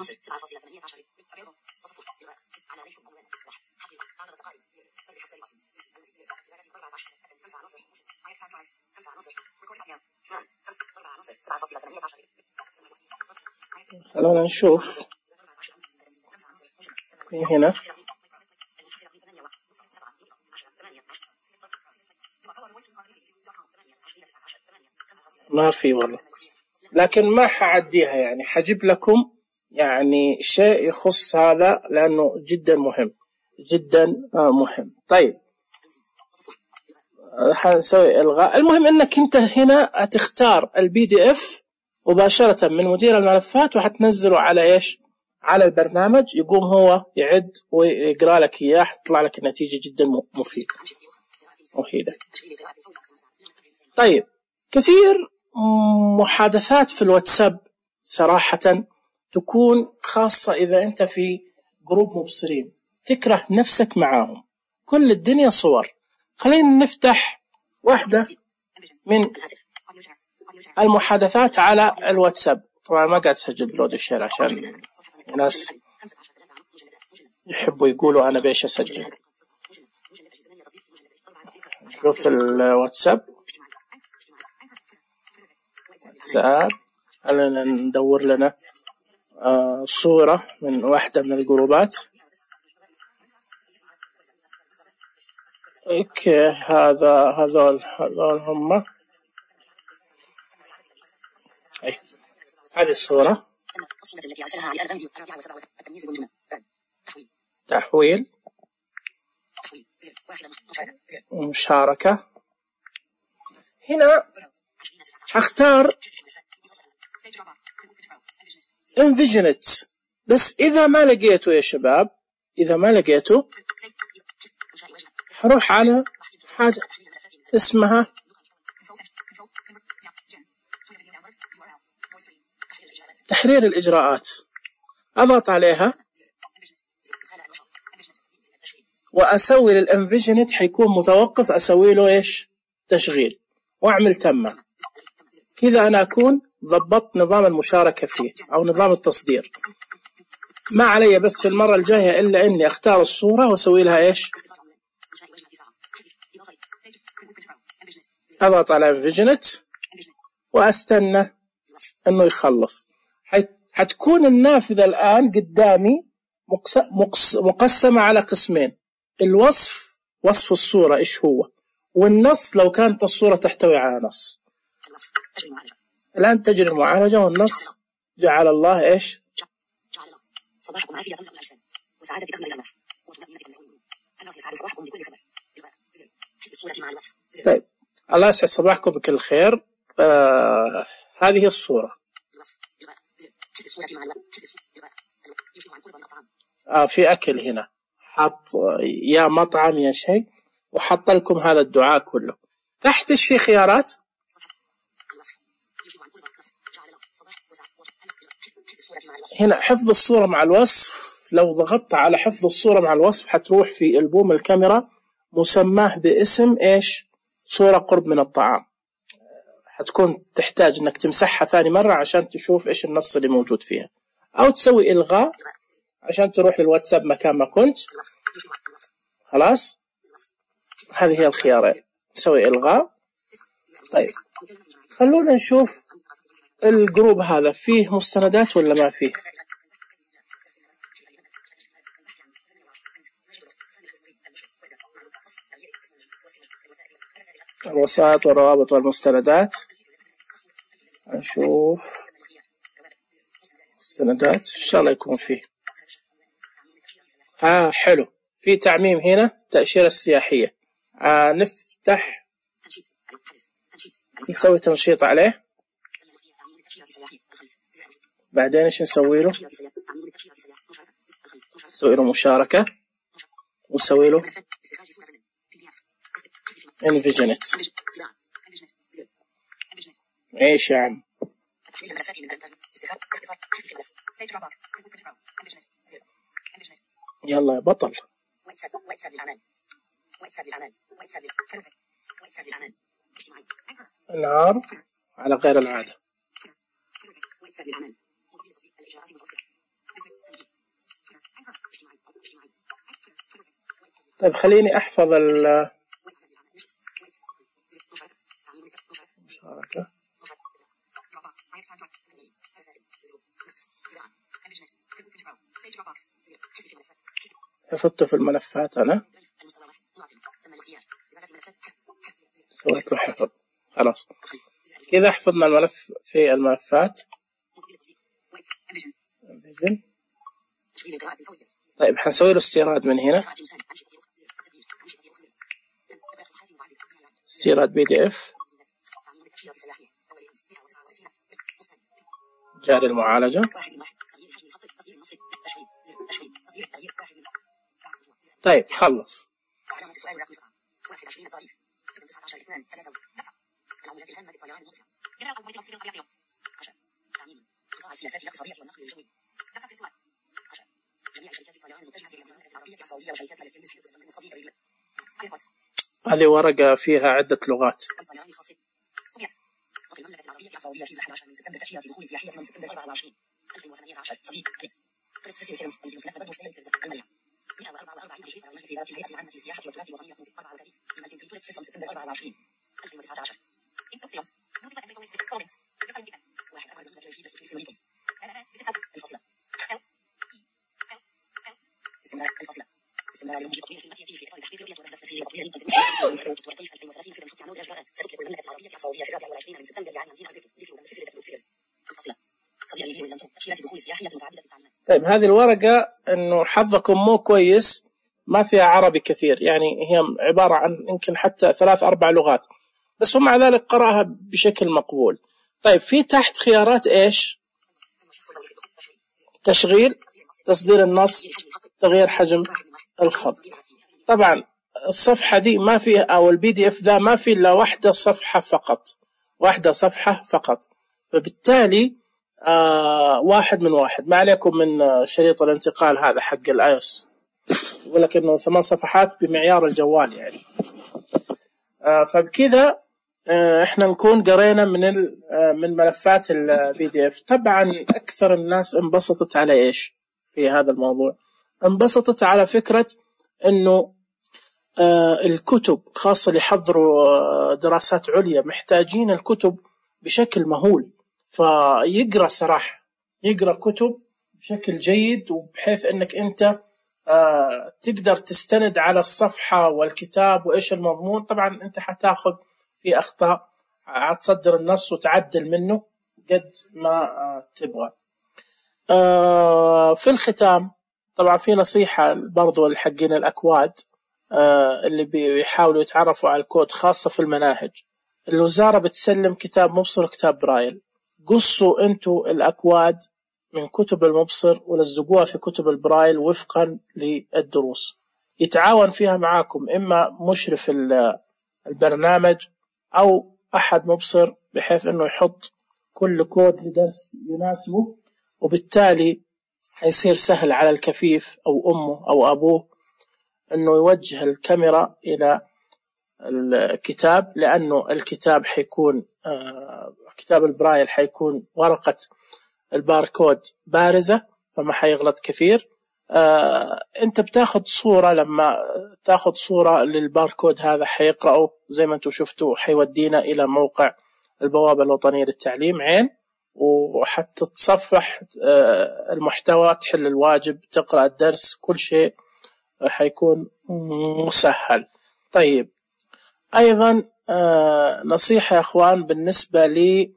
خلونا نشوف هنا. ما في والله، لكن ما حعديها يعني، حجيب لكم يعني شيء يخص هذا لأنه جدا مهم جدا مهم. طيب حنسوي إلغاء. المهم إنك أنت هنا هتختار البي دي اف مباشرة من مدير الملفات، وحتنزله على إيش؟ على البرنامج. يقوم هو يعد ويقرأ لك إياه، حتطلع لك النتيجة جدا مفيدة مفيدة. طيب كثير محادثات في الواتساب صراحة تكون خاصة إذا أنت في جروب مبصرين تكره نفسك معاهم، كل الدنيا صور. خلينا نفتح واحدة من المحادثات على الواتساب. طبعا ما قاعد أسجل بلود الشير عشان الناس يحبوا يقولوا أنا بيش أسجل. شوف الواتساب واتساب خلينا ندور لنا آه صورة من واحدة من الجروبات. اوكي هذا هذول هذول هم. أي. هذه الصورة تحويل ومشاركة. هنا هختار Envision it، بس إذا ما لقيته يا شباب، إذا ما لقيته هروح على حاجة اسمها تحرير الإجراءات. أضغط عليها وأسوي للإنفيجنت، حيكون متوقف، أسوي له إيش؟ تشغيل، وأعمل تمة. كذا أنا أكون ضبطت نظام المشاركة فيه أو نظام التصدير. ما علي بس في المرة الجاية إلا إني أختار الصورة وأسوي لها إيش؟ أضغط على انفيجنت وأستنى أنه يخلص. حتكون النافذة الآن قدامي مقسمة على قسمين: الوصف، وصف الصورة إيش هو، والنص لو كانت الصورة تحتوي على نص. الآن تجري المعالجة والنص جعل الله إيش؟ صباحكم عافية تملأ الأجسام وسعادة تكمل الأمر وطمأنينة تملأ القلوب. الله يسعد صباحكم بكل خبر. الصورة مع الوصف. طيب الله يسعد صباحكم بكل خير. آه هذه الصورة. آه في أكل هنا، حط يا مطعم يا شيء، وحط لكم هذا الدعاء كله. تحت إيش في خيارات؟ هنا حفظ الصورة مع الوصف. لو ضغطت على حفظ الصورة مع الوصف حتروح في ألبوم الكاميرا مسماه باسم إيش؟ صورة قرب من الطعام. حتكون تحتاج انك تمسحها ثاني مرة عشان تشوف ايش النص اللي موجود فيها، او تسوي الغاء عشان تروح للواتساب مكان ما كنت. خلاص هذه هي الخيارين، تسوي الغاء. طيب خلونا نشوف الجروب هذا فيه مستندات ولا ما فيه. الوسائط والروابط والمستندات، نشوف مستندات إن شاء الله يكون فيه. آه حلو، في تعميم هنا تأشيرة السياحية. آه نفتح نسوي تنشيط عليه، بعدين إيش نسوي له؟ نسوي له مشاركة ونسوي له انفيجنت. ايش يا عم؟ يلا يا بطل. نهار على غير العادة. طيب خليني أحفظ ال مشاركة. حفظته في الملفات، أنا سويت له حفظ. خلاص كذا حفظنا الملف في الملفات. طيب حنسوي له استيراد من هنا، استيراد بي دي اف جاري المعالجة. طيب خلص. هذه ورقة فيها عدة لغات. طيب هذه الورقة إنه حظكم مو كويس ما فيها عربي كثير، يعني هي عبارة عن يمكن حتى ثلاث أربع لغات بس، ومع ذلك قرأها بشكل مقبول. طيب في تحت خيارات إيش؟ تشغيل، تصدير النص، تغيير حجم الخط. طبعا الصفحة دي ما فيها، أو البي دي اف ذا ما في إلا واحدة صفحة فقط، واحدة صفحة فقط، فبالتالي آه واحد من واحد. ما عليكم من شريط الانتقال هذا حق الايوس، يقول لك انه ثمان صفحات بمعيار الجوال يعني. آه فبكذا آه احنا نكون قرينا من آه من ملفات البي دي اف. طبعا اكثر الناس انبسطت على ايش في هذا الموضوع؟ انبسطت على فكرة انه آه الكتب، خاصة اللي يحضروا آه دراسات عليا، محتاجين الكتب بشكل مهول، فيقرأ صراحة، يقرأ كتب بشكل جيد، وبحيث انك انت آه تقدر تستند على الصفحة والكتاب وايش المضمون. طبعا انت حتاخذ في اخطاء، هتصدر النص وتعدل منه قد ما آه تبغى. آه في الختام طبعا في نصيحة برضو لحقين الاكواد آه اللي بيحاولوا يتعرفوا على الكود، خاصة في المناهج. الوزارة بتسلم كتاب مبصر وكتاب برايل، قصوا انتوا الاكواد من كتب المبصر ولزقوها في كتب البرايل وفقا للدروس. يتعاون فيها معاكم اما مشرف البرنامج او احد مبصر، بحيث انه يحط كل كود لدرس يناسبه، وبالتالي حيصير سهل على الكفيف او امه او ابوه انه يوجه الكاميرا الى الكتاب، لأنه الكتاب حيكون كتاب البرايل حيكون ورقة الباركود بارزة فما حيغلط كثير. انت بتاخد صورة، لما تاخد صورة للباركود هذا حيقرأه زي ما انتم شفتوا، حيودينا إلى موقع البوابة الوطنية للتعليم عين، وحتى تصفح المحتوى، تحل الواجب، تقرأ الدرس، كل شيء حيكون مسهل. طيب أيضا نصيحة يا أخوان بالنسبة لي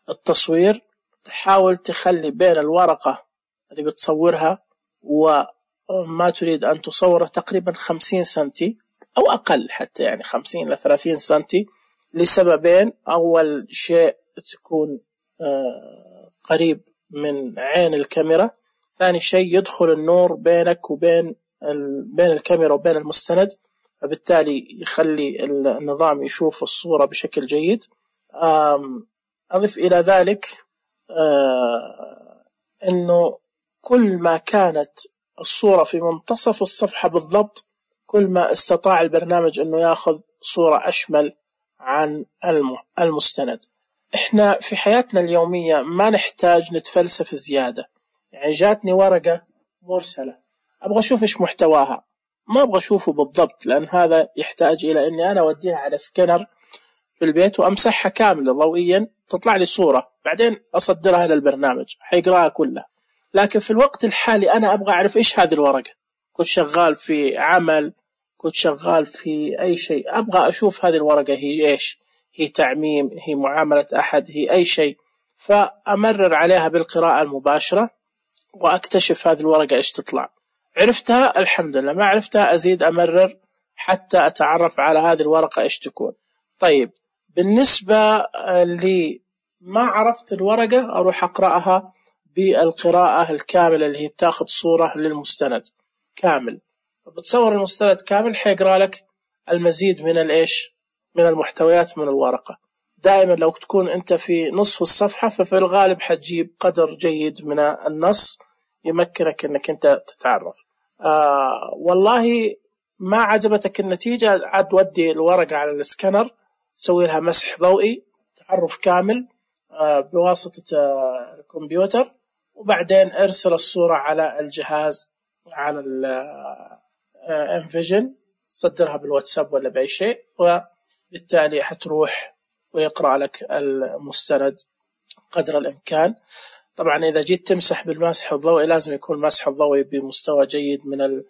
التصوير، تحاول تخلي بين الورقة اللي بتصورها وما تريد أن تصوره تقريبا خمسين سنتي أو أقل، حتى يعني خمسين إلى ثلاثين سنتي، لسببين: أول شيء تكون قريب من عين الكاميرا، ثاني شيء يدخل النور بينك وبين بين الكاميرا وبين المستند، فبالتالي يخلي النظام يشوف الصورة بشكل جيد. أضف إلى ذلك أنه كل ما كانت الصورة في منتصف الصفحة بالضبط، كل ما استطاع البرنامج أنه يأخذ صورة أشمل عن المستند. إحنا في حياتنا اليومية ما نحتاج نتفلسف زيادة. يعني جاتني ورقة مرسلة، أبغى أشوف إيش محتواها، ما أبغى أشوفه بالضبط، لأن هذا يحتاج إلى أني أنا أوديها على سكانر في البيت وأمسحها كاملة ضوئيا، تطلع لي صورة، بعدين أصدرها للبرنامج حيقرأها كلها. لكن في الوقت الحالي أنا أبغى أعرف إيش هذه الورقة، كنت شغال في عمل، كنت شغال في أي شيء، أبغى أشوف هذه الورقة هي إيش، هي تعميم، هي معاملة أحد، هي أي شيء، فأمرر عليها بالقراءة المباشرة وأكتشف هذه الورقة إيش تطلع. عرفتها الحمد لله، ما عرفتها أزيد أمرر حتى أتعرف على هذه الورقة إيش تكون. طيب بالنسبة لي ما عرفت الورقة، أروح أقرأها بالقراءة الكاملة اللي هي بتاخذ صورة للمستند كامل، بتصور المستند كامل، حيقرأ لك المزيد من الإيش، من المحتويات من الورقة. دائما لو تكون أنت في نصف الصفحة، ففي الغالب حتجيب قدر جيد من النص يمكنك أنك أنت تتعرف. آه والله ما عجبتك النتيجة، عاد ودي الورقة على السكانر، سوي لها مسح ضوئي، تعرف كامل آه بواسطة آه الكمبيوتر، وبعدين ارسل الصورة على الجهاز، على الانفيجن، صدرها بالواتساب ولا بأي شيء، وبالتالي حتروح ويقرأ لك المستند قدر الإمكان. طبعا إذا جيت تمسح بالمسح الضوئي لازم يكون المسح الضوئي بمستوى جيد من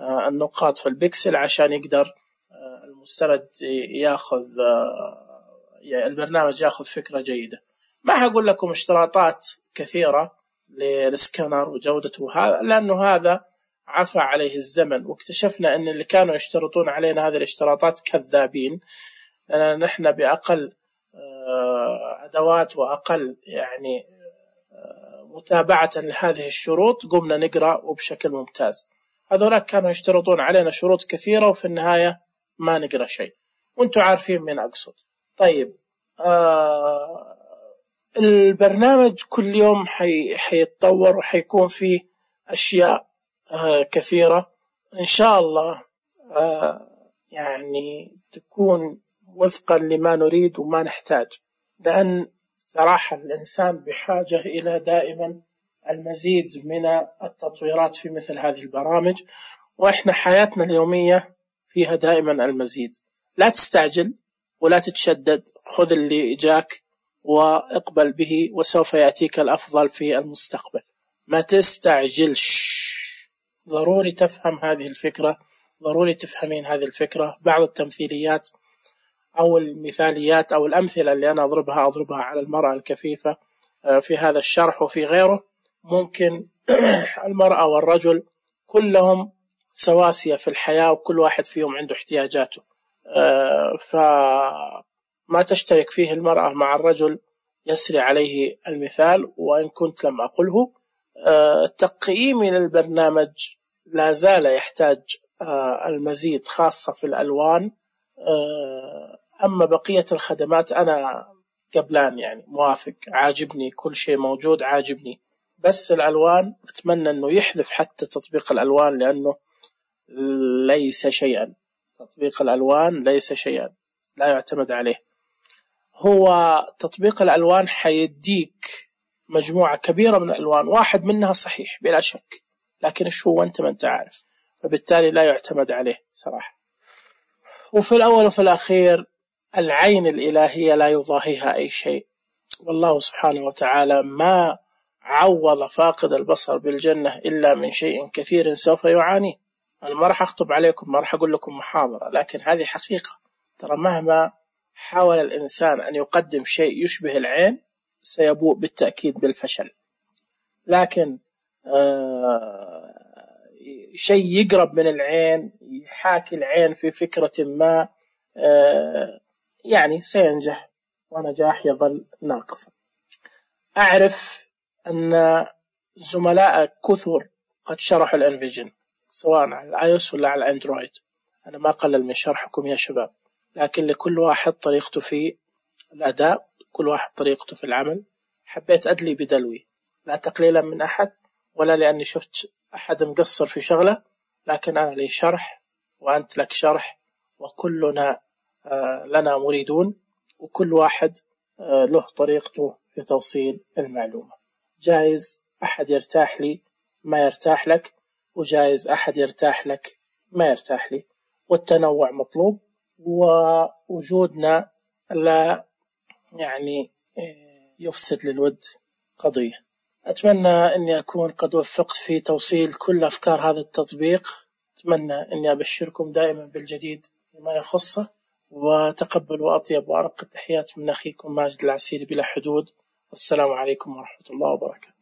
النقاط في البكسل، عشان يقدر المستند ياخذ، البرنامج ياخذ فكرة جيدة. ما هقول لكم اشتراطات كثيرة للسكانر وجودته، هذا لأنه هذا عفى عليه الزمن، واكتشفنا أن اللي كانوا يشترطون علينا هذه الاشتراطات كذابين، لأن نحن بأقل أدوات وأقل يعني متابعة لهذه الشروط قمنا نقرأ وبشكل ممتاز. هذولا كانوا يشترطون علينا شروط كثيرة وفي النهاية ما نقرأ شيء، وانتم عارفين من أقصد. طيب آه البرنامج كل يوم حي حيتطور وحيكون فيه أشياء آه كثيرة إن شاء الله، آه يعني تكون وفقا لما نريد وما نحتاج، لأن صراحة الإنسان بحاجة إلى دائما المزيد من التطويرات في مثل هذه البرامج، وإحنا حياتنا اليومية فيها دائما المزيد. لا تستعجل ولا تتشدد، خذ اللي جاك واقبل به، وسوف يأتيك الأفضل في المستقبل. ما تستعجلش، ضروري تفهم هذه الفكرة، ضروري تفهمين هذه الفكرة. بعض التمثيليات أو المثاليات أو الأمثلة اللي أنا أضربها أضربها على المرأة الكفيفة في هذا الشرح وفي غيره، ممكن المرأة والرجل كلهم سواسية في الحياة، وكل واحد فيهم عنده احتياجاته، فما تشترك فيه المرأة مع الرجل يسري عليه المثال، وإن كنت لم أقله. تقييمي للبرنامج لا زال يحتاج المزيد، خاصة في الألوان. أما بقية الخدمات أنا قبلان يعني موافق، عاجبني كل شيء موجود، عاجبني، بس الألوان أتمنى أنه يحذف حتى تطبيق الألوان، لأنه ليس شيئا تطبيق الألوان ليس شيئا لا يعتمد عليه. هو تطبيق الألوان حيديك مجموعة كبيرة من الألوان، واحد منها صحيح بلا شك، لكن إيش هو أنت ما أنت عارف، فبالتالي لا يعتمد عليه صراحة. وفي الأول وفي الأخير العين الإلهية لا يضاهيها أي شيء، والله سبحانه وتعالى ما عوض فاقد البصر بالجنة إلا من شيء كثير سوف يعانيه. أنا ما راح أخطب عليكم، ما راح أقول لكم محاضرة، لكن هذه حقيقة. ترى مهما حاول الإنسان أن يقدم شيء يشبه العين سيبوء بالتأكيد بالفشل، لكن آه شيء يقرب من العين يحاكي العين في فكرة ما آه يعني سينجح، ونجاح يظل ناقصا. أعرف أن زملاء كثر قد شرحوا الانفيجن سواء على الاي او اس ولا على الاندرويد، أنا ما قلل من شرحكم يا شباب، لكن لكل واحد طريقته في الأداء، كل واحد طريقته في العمل. حبيت أدلي بدلوي، لا تقليلا من أحد ولا لأني شفت أحد مقصر في شغله، لكن أنا لي شرح وأنت لك شرح، وكلنا لنا مريدون، وكل واحد له طريقته في توصيل المعلومة. جايز أحد يرتاح لي ما يرتاح لك، وجايز أحد يرتاح لك ما يرتاح لي، والتنوع مطلوب، ووجودنا لا يعني يفسد للود قضية. أتمنى أني أكون قد وفقت في توصيل كل أفكار هذا التطبيق. أتمنى أني أبشركم دائما بالجديد بما يخصه، وتقبلوا أطيب وأرق التحيات من أخيكم ماجد العسيري بلا حدود. والسلام عليكم ورحمة الله وبركاته.